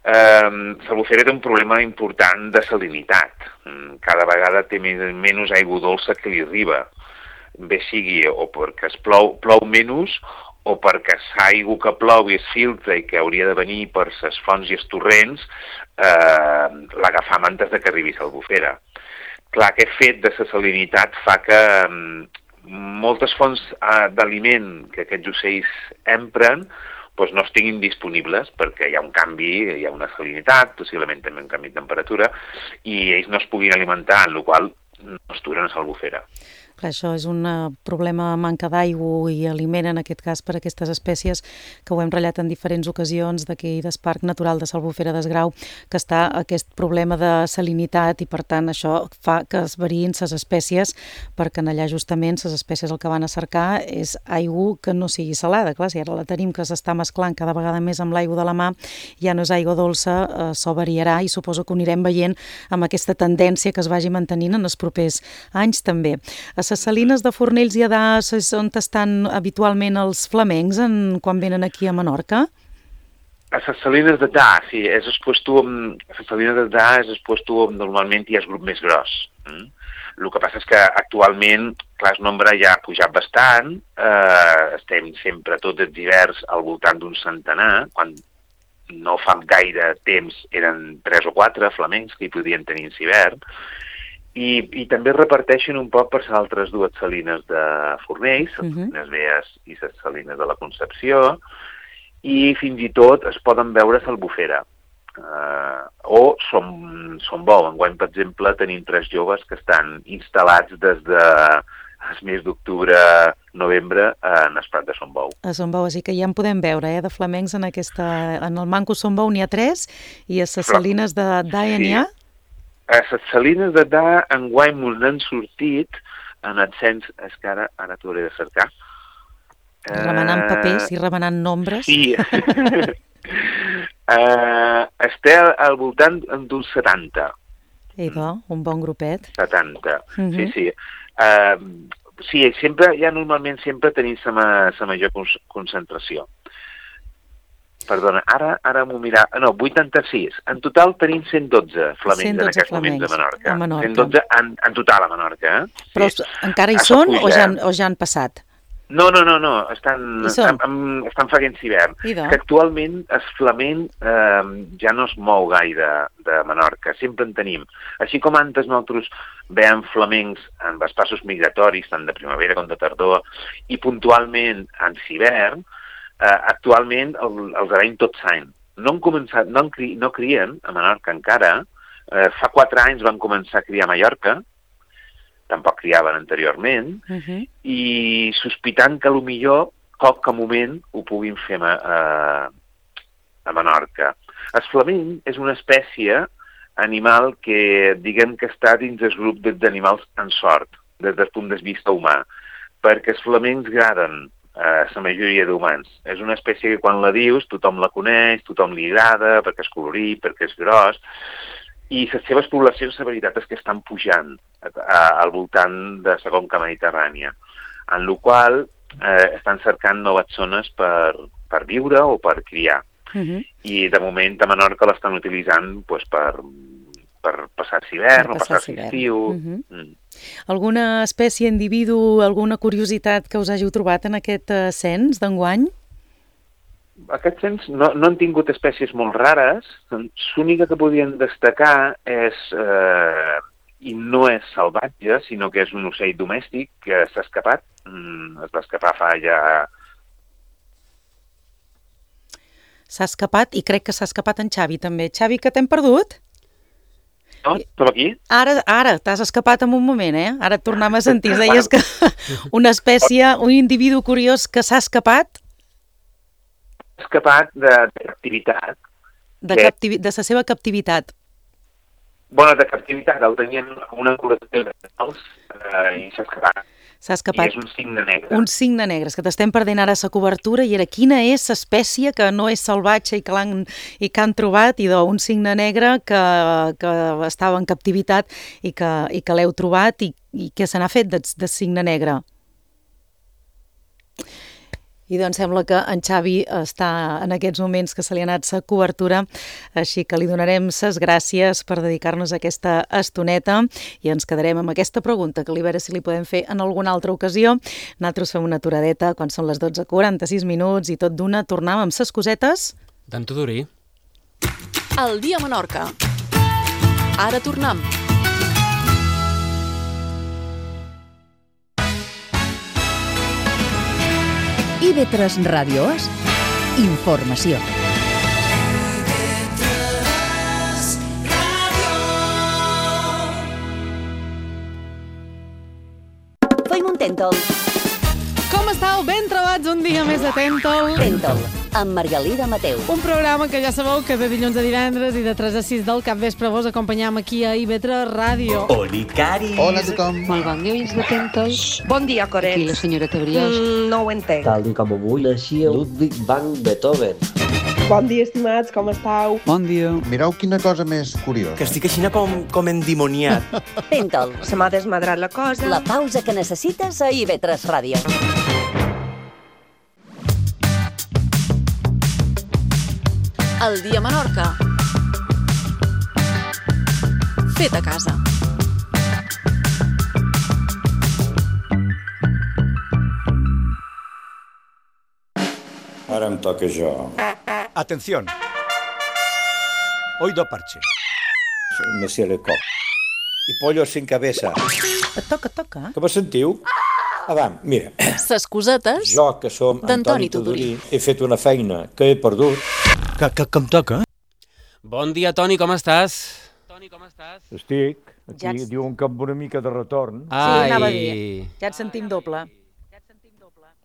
Eh, L'Albufera té un problema important de salinitat. Cada vegada té menys aigua dolça que li arriba. Bé sigui o perquè es plou, plou menys o perquè l'aigua que plou i es filtra i que hauria de venir per les fonts i els torrents, eh, l'agafam antes de que arribi l'Albufera. Clar, aquest fet de la salinitat fa que eh, moltes fonts eh, d'aliment que aquests ocells empren doncs no estiguin disponibles perquè hi ha un canvi, hi ha una salinitat, possiblement també un canvi de temperatura, i ells no es puguin alimentar, en la qual cosa no es duren a l'Albufera. Clar, això és un problema manca d'aigua i aliment, en aquest cas, per a aquestes espècies, que ho hem ratllat en diferents ocasions d'aquí del Parc Natural de l'Albufera d'Esgrau, que està aquest problema de salinitat i, per tant, això fa que es variïn les espècies, perquè en allà justament les espècies el que van a cercar és aigua que no sigui salada. Clar, si ara la tenim que s'està mesclant cada vegada més amb l'aigua de la mà, ja no és aigua dolça, això variarà i suposo que ho anirem veient amb aquesta tendència que es vagi mantenint en els propers anys també. A les salines de Fornells i Adà és on estan habitualment els flamencs en, quan venen aquí a Menorca? A les salines d'Adà, sí, és el puesto, a les salines d'Adà és el puesto on normalment hi ha el grup més gros. Mm? El que passa és que actualment, clar, el nombre ja ha pujat bastant, eh, estem sempre tots els hiverns al voltant d'un centenar, quan no fa gaire temps eren tres o quatre flamencs que hi podien tenir en hivern, I, i també reparteixen un poc per les altres dues salines de Fornells, les uh-huh. salines Bees i les salines de la Concepció, i fins i tot es poden veure a l'Albufera. Uh, o Som, Som Bou. Enguany, per exemple, tenim tres joves que estan instal·lats des de el mes d'octubre, novembre, en el Prat de Som Bou. A Som Bou, així que ja en podem veure, eh, de flamencs en aquesta... En el Manco Som Bou n'hi ha tres, i a les salines de Daia n'hi ha? A les salines d'Adà enguany mos n'han sortit en el cens, és que ara, ara t'ho hauré de cercar. Remenant papers i remenant nombres. Sí. uh, Estem al voltant d'uns setanta. Idò, un bon grupet. setanta, uh-huh. sí, sí. Uh, sí, sempre, ja normalment sempre tenim la major concentració. Perdona, ara, ara m'ho mirar... No, vuitanta-sis. En total tenim cent dotze flamencs cent dotze en aquests flamencs moments a Menorca. A Menorca. cent dotze en, en total a Menorca. Eh? Però sí. Encara hi són o ja, han, o ja han passat? No, no, no, no. Estan, estan, estan faent hivern. Que actualment el flamenc eh, ja no es mou gaire de Menorca. Sempre en tenim. Així com antes nosaltres veiem flamencs en els passos migratoris, tant de primavera com de tardor, i puntualment en hivern, Uh, actualment el, els veiem tot l'any. No han començat, no, han cri, no crien a Menorca encara. Uh, fa quatre anys van començar a criar a Mallorca, tampoc criaven anteriorment, uh-huh. i sospitant que potser qualque moment ho puguin fer a, a, a Menorca. El flamenc és una espècie animal que diguem que està dins el grup d'animals en sort, des del punt de vista humà, perquè els flamencs agraden a la majoria d'humans. És una espècie que quan la dius tothom la coneix, tothom li agrada, perquè és colorit, perquè és gros, i les seves poblacions, la veritat és que estan pujant a, a, al voltant de la conca mediterrània, en la qual eh, estan cercant noves zones per, per viure o per criar. Uh-huh. I de moment a Menorca l'estan utilitzant pues, per... per passar l'hivern o passar l'estiu. Uh-huh. mm. Alguna espècie, individu, alguna curiositat que us hàgiu trobat en aquest uh, cens d'enguany? Aquest cens no, no han tingut espècies molt rares. L'única que podien destacar és, eh, i no és salvatge, sinó que és un ocell domèstic que s'ha escapat. Mm, es va escapar fa ja... S'ha escapat, i crec que s'ha escapat en Xavi també. Xavi, que t'hem perdut? No, som aquí. Ara, ara t'has escapat en un moment, eh? Ara et tornem a sentir. Deies que una espècie, un individu curiós que s'ha escapat? Escapat de, de captivitat. De, que... captivi... de la seva captivitat. Bueno, de captivitat. El tenien una col·lecció de animals eh, i s'ha escapat. S'ha escapat. I és un cigne negre. Un cigne negre, és que t'estem perdent ara la cobertura, i era quina és l'espècie que no és salvatge i que l'han i que han trobat, i un cigne negre que, que estava en captivitat i que, i que l'heu trobat, i, i què se n'ha fet de, de cigne negre? I doncs sembla que en Xavi està en aquests moments que se li ha anat la cobertura, així que li donarem les gràcies per dedicar-nos a aquesta estoneta i ens quedarem amb aquesta pregunta, que li veure si li podem fer en alguna altra ocasió. Nosaltres fem una aturadeta quan són les dotze quaranta-sis minuts i tot d'una tornem amb ses cosetes d'en Tudurí. El dia a Menorca. Ara tornem. I ve tres Ràdios, informació. Tentol. Com estàu? Ben trobats un dia més de Tentol. Tentol, amb Margalida Mateu. Un programa que ja sabeu que de dilluns a divendres i de tres a sis del capvespre vos acompanyam aquí a I V tres Ràdio. Oli, Cari. Hola a tothom. Molt bon dia, oients de Tentol. Bon dia, Coret. Aquí la senyora Brioix. Mm, no ho entenc. Tal i com avui naixia Ludwig van Beethoven. Bon dia, estimats, com estàu? Bon dia. Mireu quina cosa més curiosa. Que estic així com, com endimoniat. Tentol. Se m'ha desmadrat la cosa. La pausa que necessites a I V tres Ràdio. El dia a Menorca. Fet a casa. Ara em toca jo. Atención. Oído parche. Monsieur Lecoq. I pollo sin cabeza. Et toca, toca. Com us sentiu? Avant, mira. Ses cosetes Jo, que som d'Antoni Antoni Tudorí, Tudorí. he fet una feina que he perdut. Que, que, que em toca? Bon dia, Toni, com estàs? Estic, aquí Ja ets- diuen que amb una mica de retorn. Sí, anava a dir. Ja et sentim doble.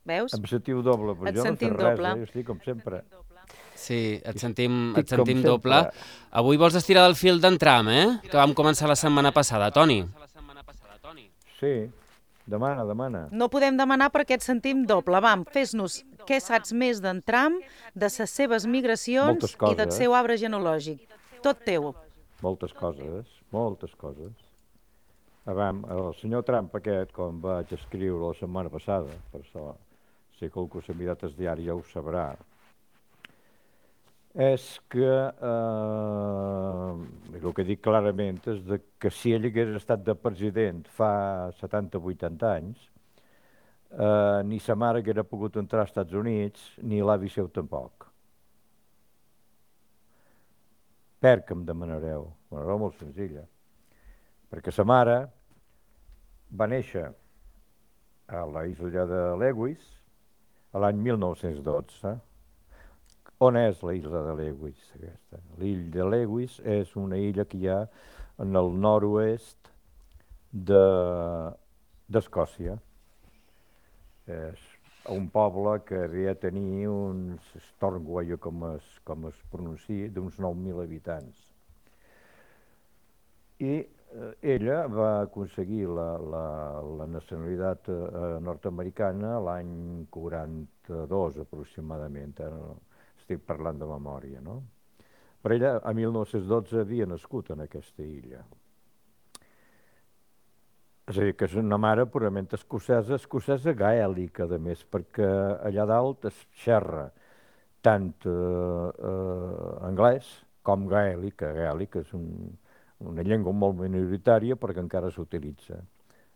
Veus? Em sentiu doble, però Et jo no sentim sé res, doble. eh? Jo estic com sempre. Sí, et sentim, Estic et sentim com doble. sempre. Avui vols estirar del fil d'entram, eh? Que vam començar la setmana passada, Toni. Sí, demana, demana. No podem demanar perquè et sentim doble. Vam, fes-nos què saps més d'Entram, de les seves migracions Moltes i coses. del seu arbre genealògic. Tot teu. Moltes coses, moltes coses. Avam, el senyor Trump aquest, com vaig escriure la setmana passada, per això, si qualcú s'ha mirat el diari ja ho sabrà, és que, eh, el que dic clarament és de que si ell hagués estat de president fa setanta o vuitanta anys, eh, ni sa mare haguera pogut entrar als Estats Units, ni l'avi seu tampoc. Per què em demanareu? Una raó molt senzilla. Perquè sa mare va néixer a la illa de Lewis a l'any mil nou-cents dotze. On és la illa de Lewis, aquesta? L'illa de Lewis és una illa que hi ha en el nord-oest de- d'Escòcia. És un poble que havia de tenir uns Stornoway, com es, com es pronuncia, d'uns nou mil habitants. I eh, ella va aconseguir la, la, la nacionalitat eh, nord-americana l'any quaranta-dos aproximadament, ara no, estic parlant de memòria, no? Però ella a mil nou-cents dotze havia nascut en aquesta illa. És a dir, que és una mare purament escocesa, escocesa gaèlica, a més, perquè allà dalt es xerra tant eh, eh, anglès com gaèlic. Gaèlic és un, una llengua molt minoritària perquè encara s'utilitza.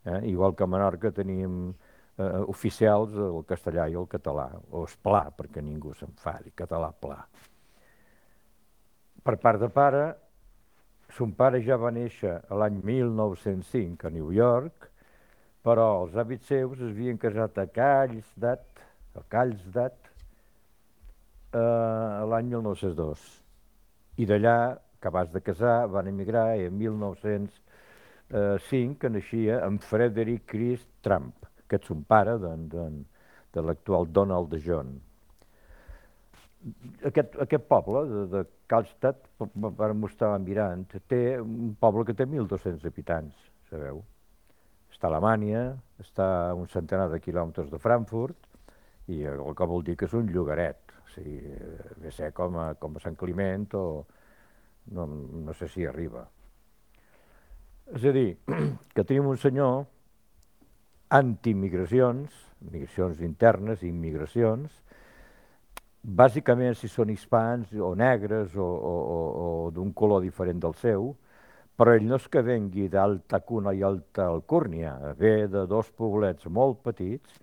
Eh? Igual que a Menorca teníem eh, oficials el castellà i el català, o es pla, perquè ningú s'enfadi, català pla. Per part de pare, son pare ja va néixer l'any mil nou-cents cinc a New York, però els hàbits seus es havien casat a Carlsbad, a Carlsbad, eh, l'any mil nou-cents dos. I d'allà, acabats de casar, van emigrar i en mil nou-cents cinc que naixia en Frederick Chris Trump, que és son pare de, de, de l'actual Donald de John. Aquest, aquest poble de, de Karlstad, per mostrar mirant, té un poble que té mil dos-cents habitants, sabeu? Està a Alemanya, està a un centenar de quilòmetres de Frankfurt, i el que vol dir que és un llogaret, o sigui, ve ser com a, com a Sant Climent o no, no sé si arriba. És a dir, que tenim un senyor anti-migracions, migracions internes i immigracions, bàsicament si són hispans o negres o, o, o, o d'un color diferent del seu, però ell no és que vengui d'Alta Cuna i Alta Alcúrnia, ve de dos poblets molt petits,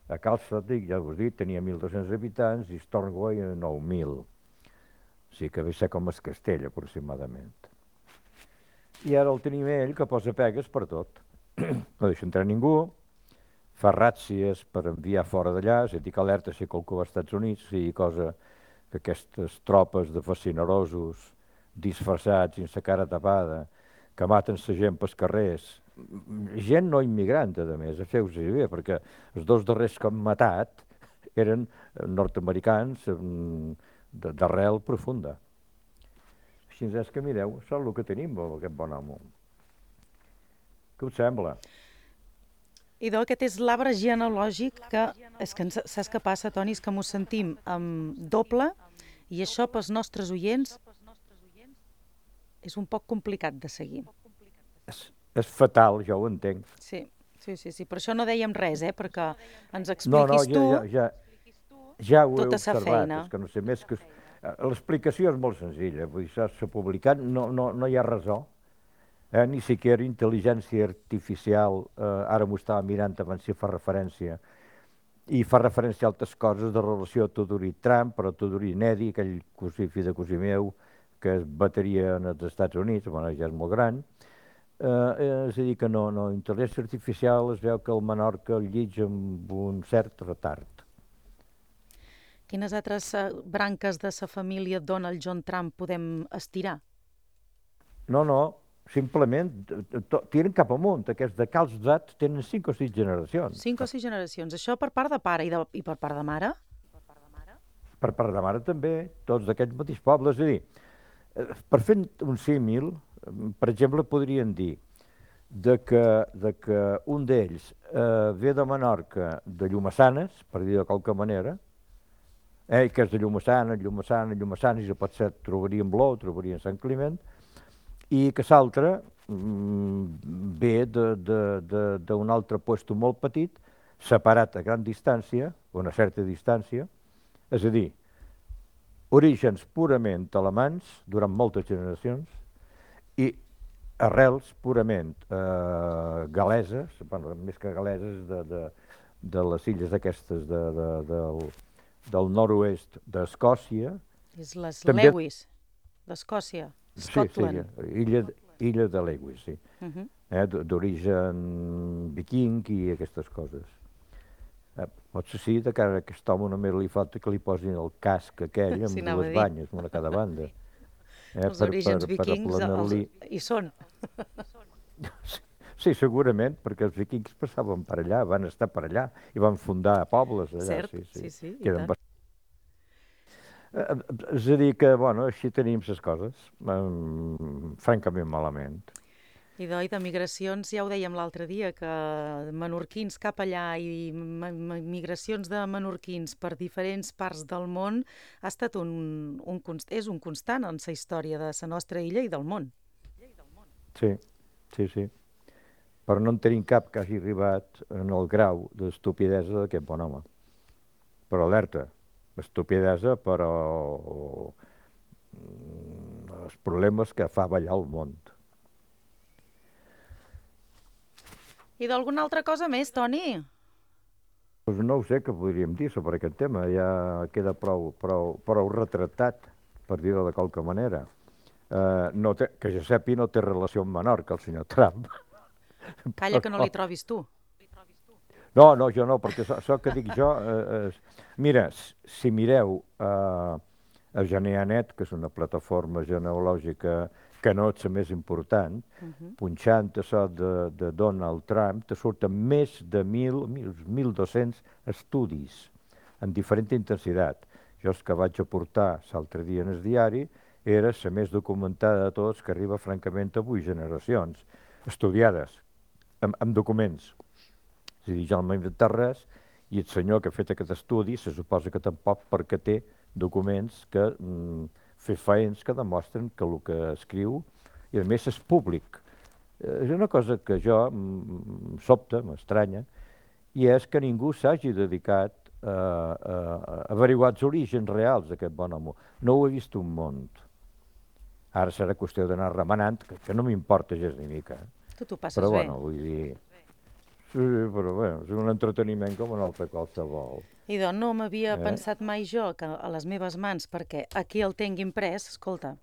a Karlstad, ja us dic, tenia mil dos-cents habitants i Stornoway nou mil. O sigui que ve ser com es Castell, aproximadament. I ara el tenim ell, que posa pegues per tot. No deixa entrar ningú, fa ràtzies per enviar fora d'allà, és a dir, que alerta si qualcú va als Estats Units, sigui cosa que aquestes tropes de fascinerosos disfressats, sense cara tapada, que maten la gent pels carrers gent no immigrant, a més, feu-s'hi bé, perquè els dos darrers que han matat eren nord-americans d'arrel profunda. Així és que mireu, això és el que tenim, aquest bon home. Què us sembla? Idò, aquest és l'arbre genealògic que, és que saps què passa, Toni, és que m'ho sentim amb doble i això pels nostres oients és un poc complicat de seguir. És, és fatal, ja ho entenc. Sí, sí, sí, sí, per això no dèiem res, eh, perquè ens expliquis no, no, tu ja, ja, ja, ja ho tota he sa observat, feina. És que no sé més que... L'explicació és molt senzilla, vull dir, s'ha publicat, no, no, no hi ha raó, eh, ni siquiera intel·ligència artificial, eh, ara m'ho estava mirant abans si fa referència, i fa referència a altres coses de relació a Tudorí-Trump, però Tudorí inèdit, aquell cosí, fill de cosí meu, que es bataria als Estats Units, bueno, ja és molt gran, eh, és a dir, que no, no, intel·ligència artificial es veu que el Menorca el llig amb un cert retard. Quines altres branques de sa família Donald John Trump podem estirar? No, no, simplement tiren cap amunt. Aquests de Cals d'At tenen cinc o sis generacions. Cinc o sis generacions. Això per part de pare i, de, i per part de mare? Per part de mare també, tots d'aquests mateixos pobles. És a dir, per fer un símil, per exemple, podrien dir de que, de que un d'ells eh, ve de Menorca, de Llumassanes, per dir de qualque manera, eh, que és de Llumassanes, Llumassanes, Llumassanes, i potser trobaria en Blou, trobaria en Sant Climent, i que l'altre mm, ve d'un altre puesto molt petit, separat a gran distància, a una certa distància, és a dir, orígens purament alemans durant moltes generacions i arrels purament eh, galeses, bueno, més que galeses, de, de, de les illes aquestes de, de, del, del nord-oest d'Escòcia. És les També... Lewis, d'Escòcia, Scotland. Sí, sí, illa, illa de Lewis, sí. Uh -huh. eh, d'origen viking i aquestes coses. Eh, potser sí, de cara a aquest home només li falta que li posin el casc aquell amb sí, dues banyes, una a cada banda. Eh, els per, orígens per, per vikings els, hi són. Sí, sí, segurament, perquè els vikings passaven per allà, van estar per allà i van fundar pobles allà. Cert, sí, sí, sí, sí, i Queden tant. bast... És a dir que, bueno, així tenim les coses, um, francament malament. I d'oi, de migracions, ja ho dèiem l'altre dia, que menorquins cap allà i migracions de menorquins per diferents parts del món ha estat un, un, és un constant en la història de la nostra illa i del món. Sí, sí, sí. Però no en tenim cap que hagi arribat en el grau d'estupidesa d'aquest bon home. Però alerta, estupidesa, però els problemes que fa ballar el món. I d'alguna altra cosa més, Toni? Pues no ho sé què podríem dir sobre aquest tema, ja queda prou, prou, prou retratat, per dir-ho de qualque manera. Uh, no té, que jo sàpiga no té relació amb Menorca, el senyor Trump. Calla, que no li trobis tu. No, no, jo no, perquè això que dic jo... Eh, eh, mira, si mireu eh, a Geneanet, que és una plataforma genealògica que no és la més important, uh-huh. punxant això de, de Donald Trump, te surten més de mil, mil dos-cents estudis en diferent intensitat. Jo els que vaig aportar l'altre dia en el diari era la més documentada de tots, que arriba francament a vuit generacions, estudiades, amb, amb documents. És a dir, jo no m'he inventat res, i el senyor que ha fet aquest estudi se suposa que tampoc perquè té documents que mm, fefaents que demostren que el que escriu, i a més és públic. És una cosa que jo mm, sobta, m'estranya, i és que ningú s'hagi dedicat a, a, a averiguar els orígens reals d'aquest bon home. No ho he vist un món. Ara serà qüestió d'anar remenant, que, que no m'importa gens ni mica. Tu t'ho passes però, bé. Bueno, vull dir... Sí, però bé, és un entreteniment com un altre qualsevol. I doncs no m'havia eh? pensat mai jo que a les meves mans, perquè aquí el tinc imprès, escolta,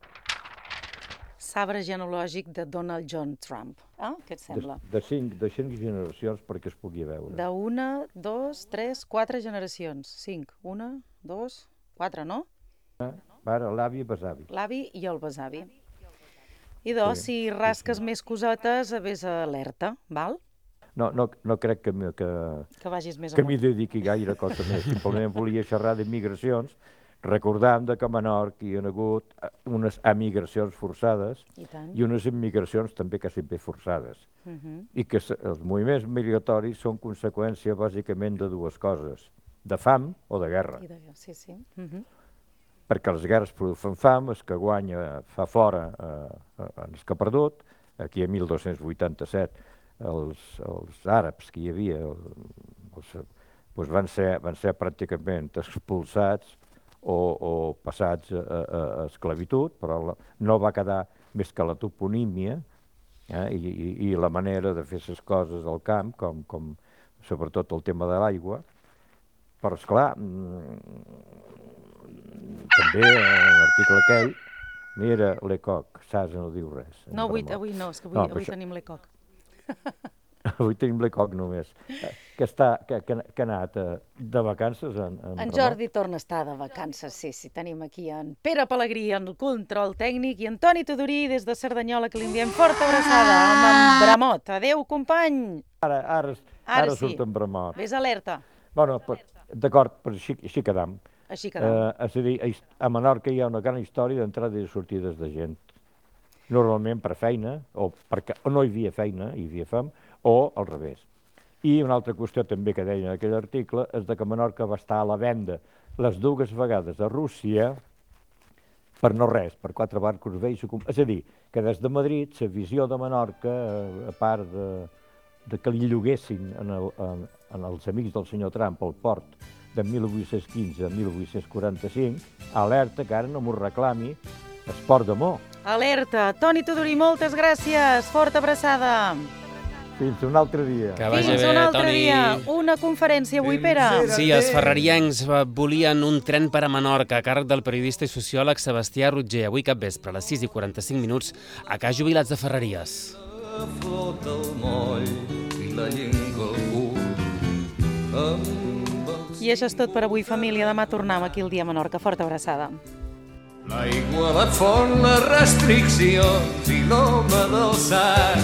sabre genealògic de Donald John Trump. Ah, què et sembla? De, de, cinc, de cinc generacions perquè es pugui veure. De una, dos, tres, quatre generacions. Cinc. Una, dos, quatre, no? Eh? Ara, l'avi i besavi. L'avi i el besavi. I doncs, Sí, si rasques més cosetes, vés alerta, val? No, no, no crec que, m- que, Que vagis més que amunt. m'hi dediqui gaire cosa més. Simplement volia xerrar d'immigracions, recordant que a Menorca hi ha hagut eh, unes emigracions forçades I tant. i unes immigracions també quasi bé forçades. Mhm. I que s- els moviments migratoris són conseqüència bàsicament de dues coses, de fam o de guerra. I de... Sí, sí. Mhm. Perquè les guerres produeixen fam, el que guanya fa fora eh, els que ha perdut. Aquí a mil dos-cents vuitanta-set els, els àrabs que hi havia el, els, doncs van, ser, van ser pràcticament expulsats o, o passats a, a, a esclavitud, però la, no va quedar més que la toponímia eh, i, i, i la manera de fer les coses al camp, com, com sobretot el tema de l'aigua. Però, esclar, també en l'article aquell, mira, l'Ecoc, Sasa no diu res. No, avui, avui no, és que avui, No, avui però això- tenim l'Ecoc. Avui tenim l'Ecoc només. Eh, Que, està, que, que, que ha anat eh, de vacances en, en, En Ramon? Jordi torna a estar de vacances, sí, sí. Tenim aquí en Pere Pellegrí en el control tècnic i en Toni Tudorí des de Cerdanyola, que li enviem forta abraçada amb en Bramot. Adéu, company! Ara, ara, Ara ara sí. surt en Bramot. Ves alerta. Bueno, però, d'acord, però així, així quedam. Així quedam. Eh, és a dir, a his- a Menorca hi ha una gran història d'entrades i sortides de gent. Normalment per feina, o perquè o no hi havia feina, hi havia fam, o al revés. I una altra qüestió també que deia en aquell article és de que Menorca va estar a la venda les dues vegades a Rússia per no res, per quatre barcos vells. És a dir, que des de Madrid la visió de Menorca, eh, a part de, de que li lloguessin en, el, en, en els amics del senyor Trump el port de mil vuit-cents quinze a mil vuit-cents quaranta-cinc, alerta que ara no m'ho reclami el port de Mo. Alerta. Toni Tudorí, moltes gràcies. Forta abraçada. Fins un altre dia. Que vagi Fins bé, un altre Toni. dia. Una conferència avui, Pere. Sí, els ferrariencs eh, volien un tren per a Menorca a càrrec del periodista i sociòleg Sebastià Rotger. Avui capvespre, a les sis i quaranta-cinc minuts, a Cas Jubilats de Ferreries. Flota el moll i la llengua al cul amb el... I això és tot per avui, família. Demà tornem aquí al Dia Menorca. Forta abraçada. L'aigua, la font, les restriccions i l'home del sac.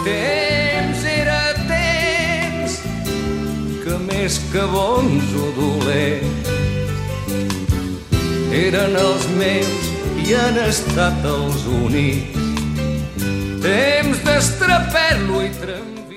Temps era temps que més que bons o dolents eren els meus i han estat els únics. Temps d'estraperlo i tramvi.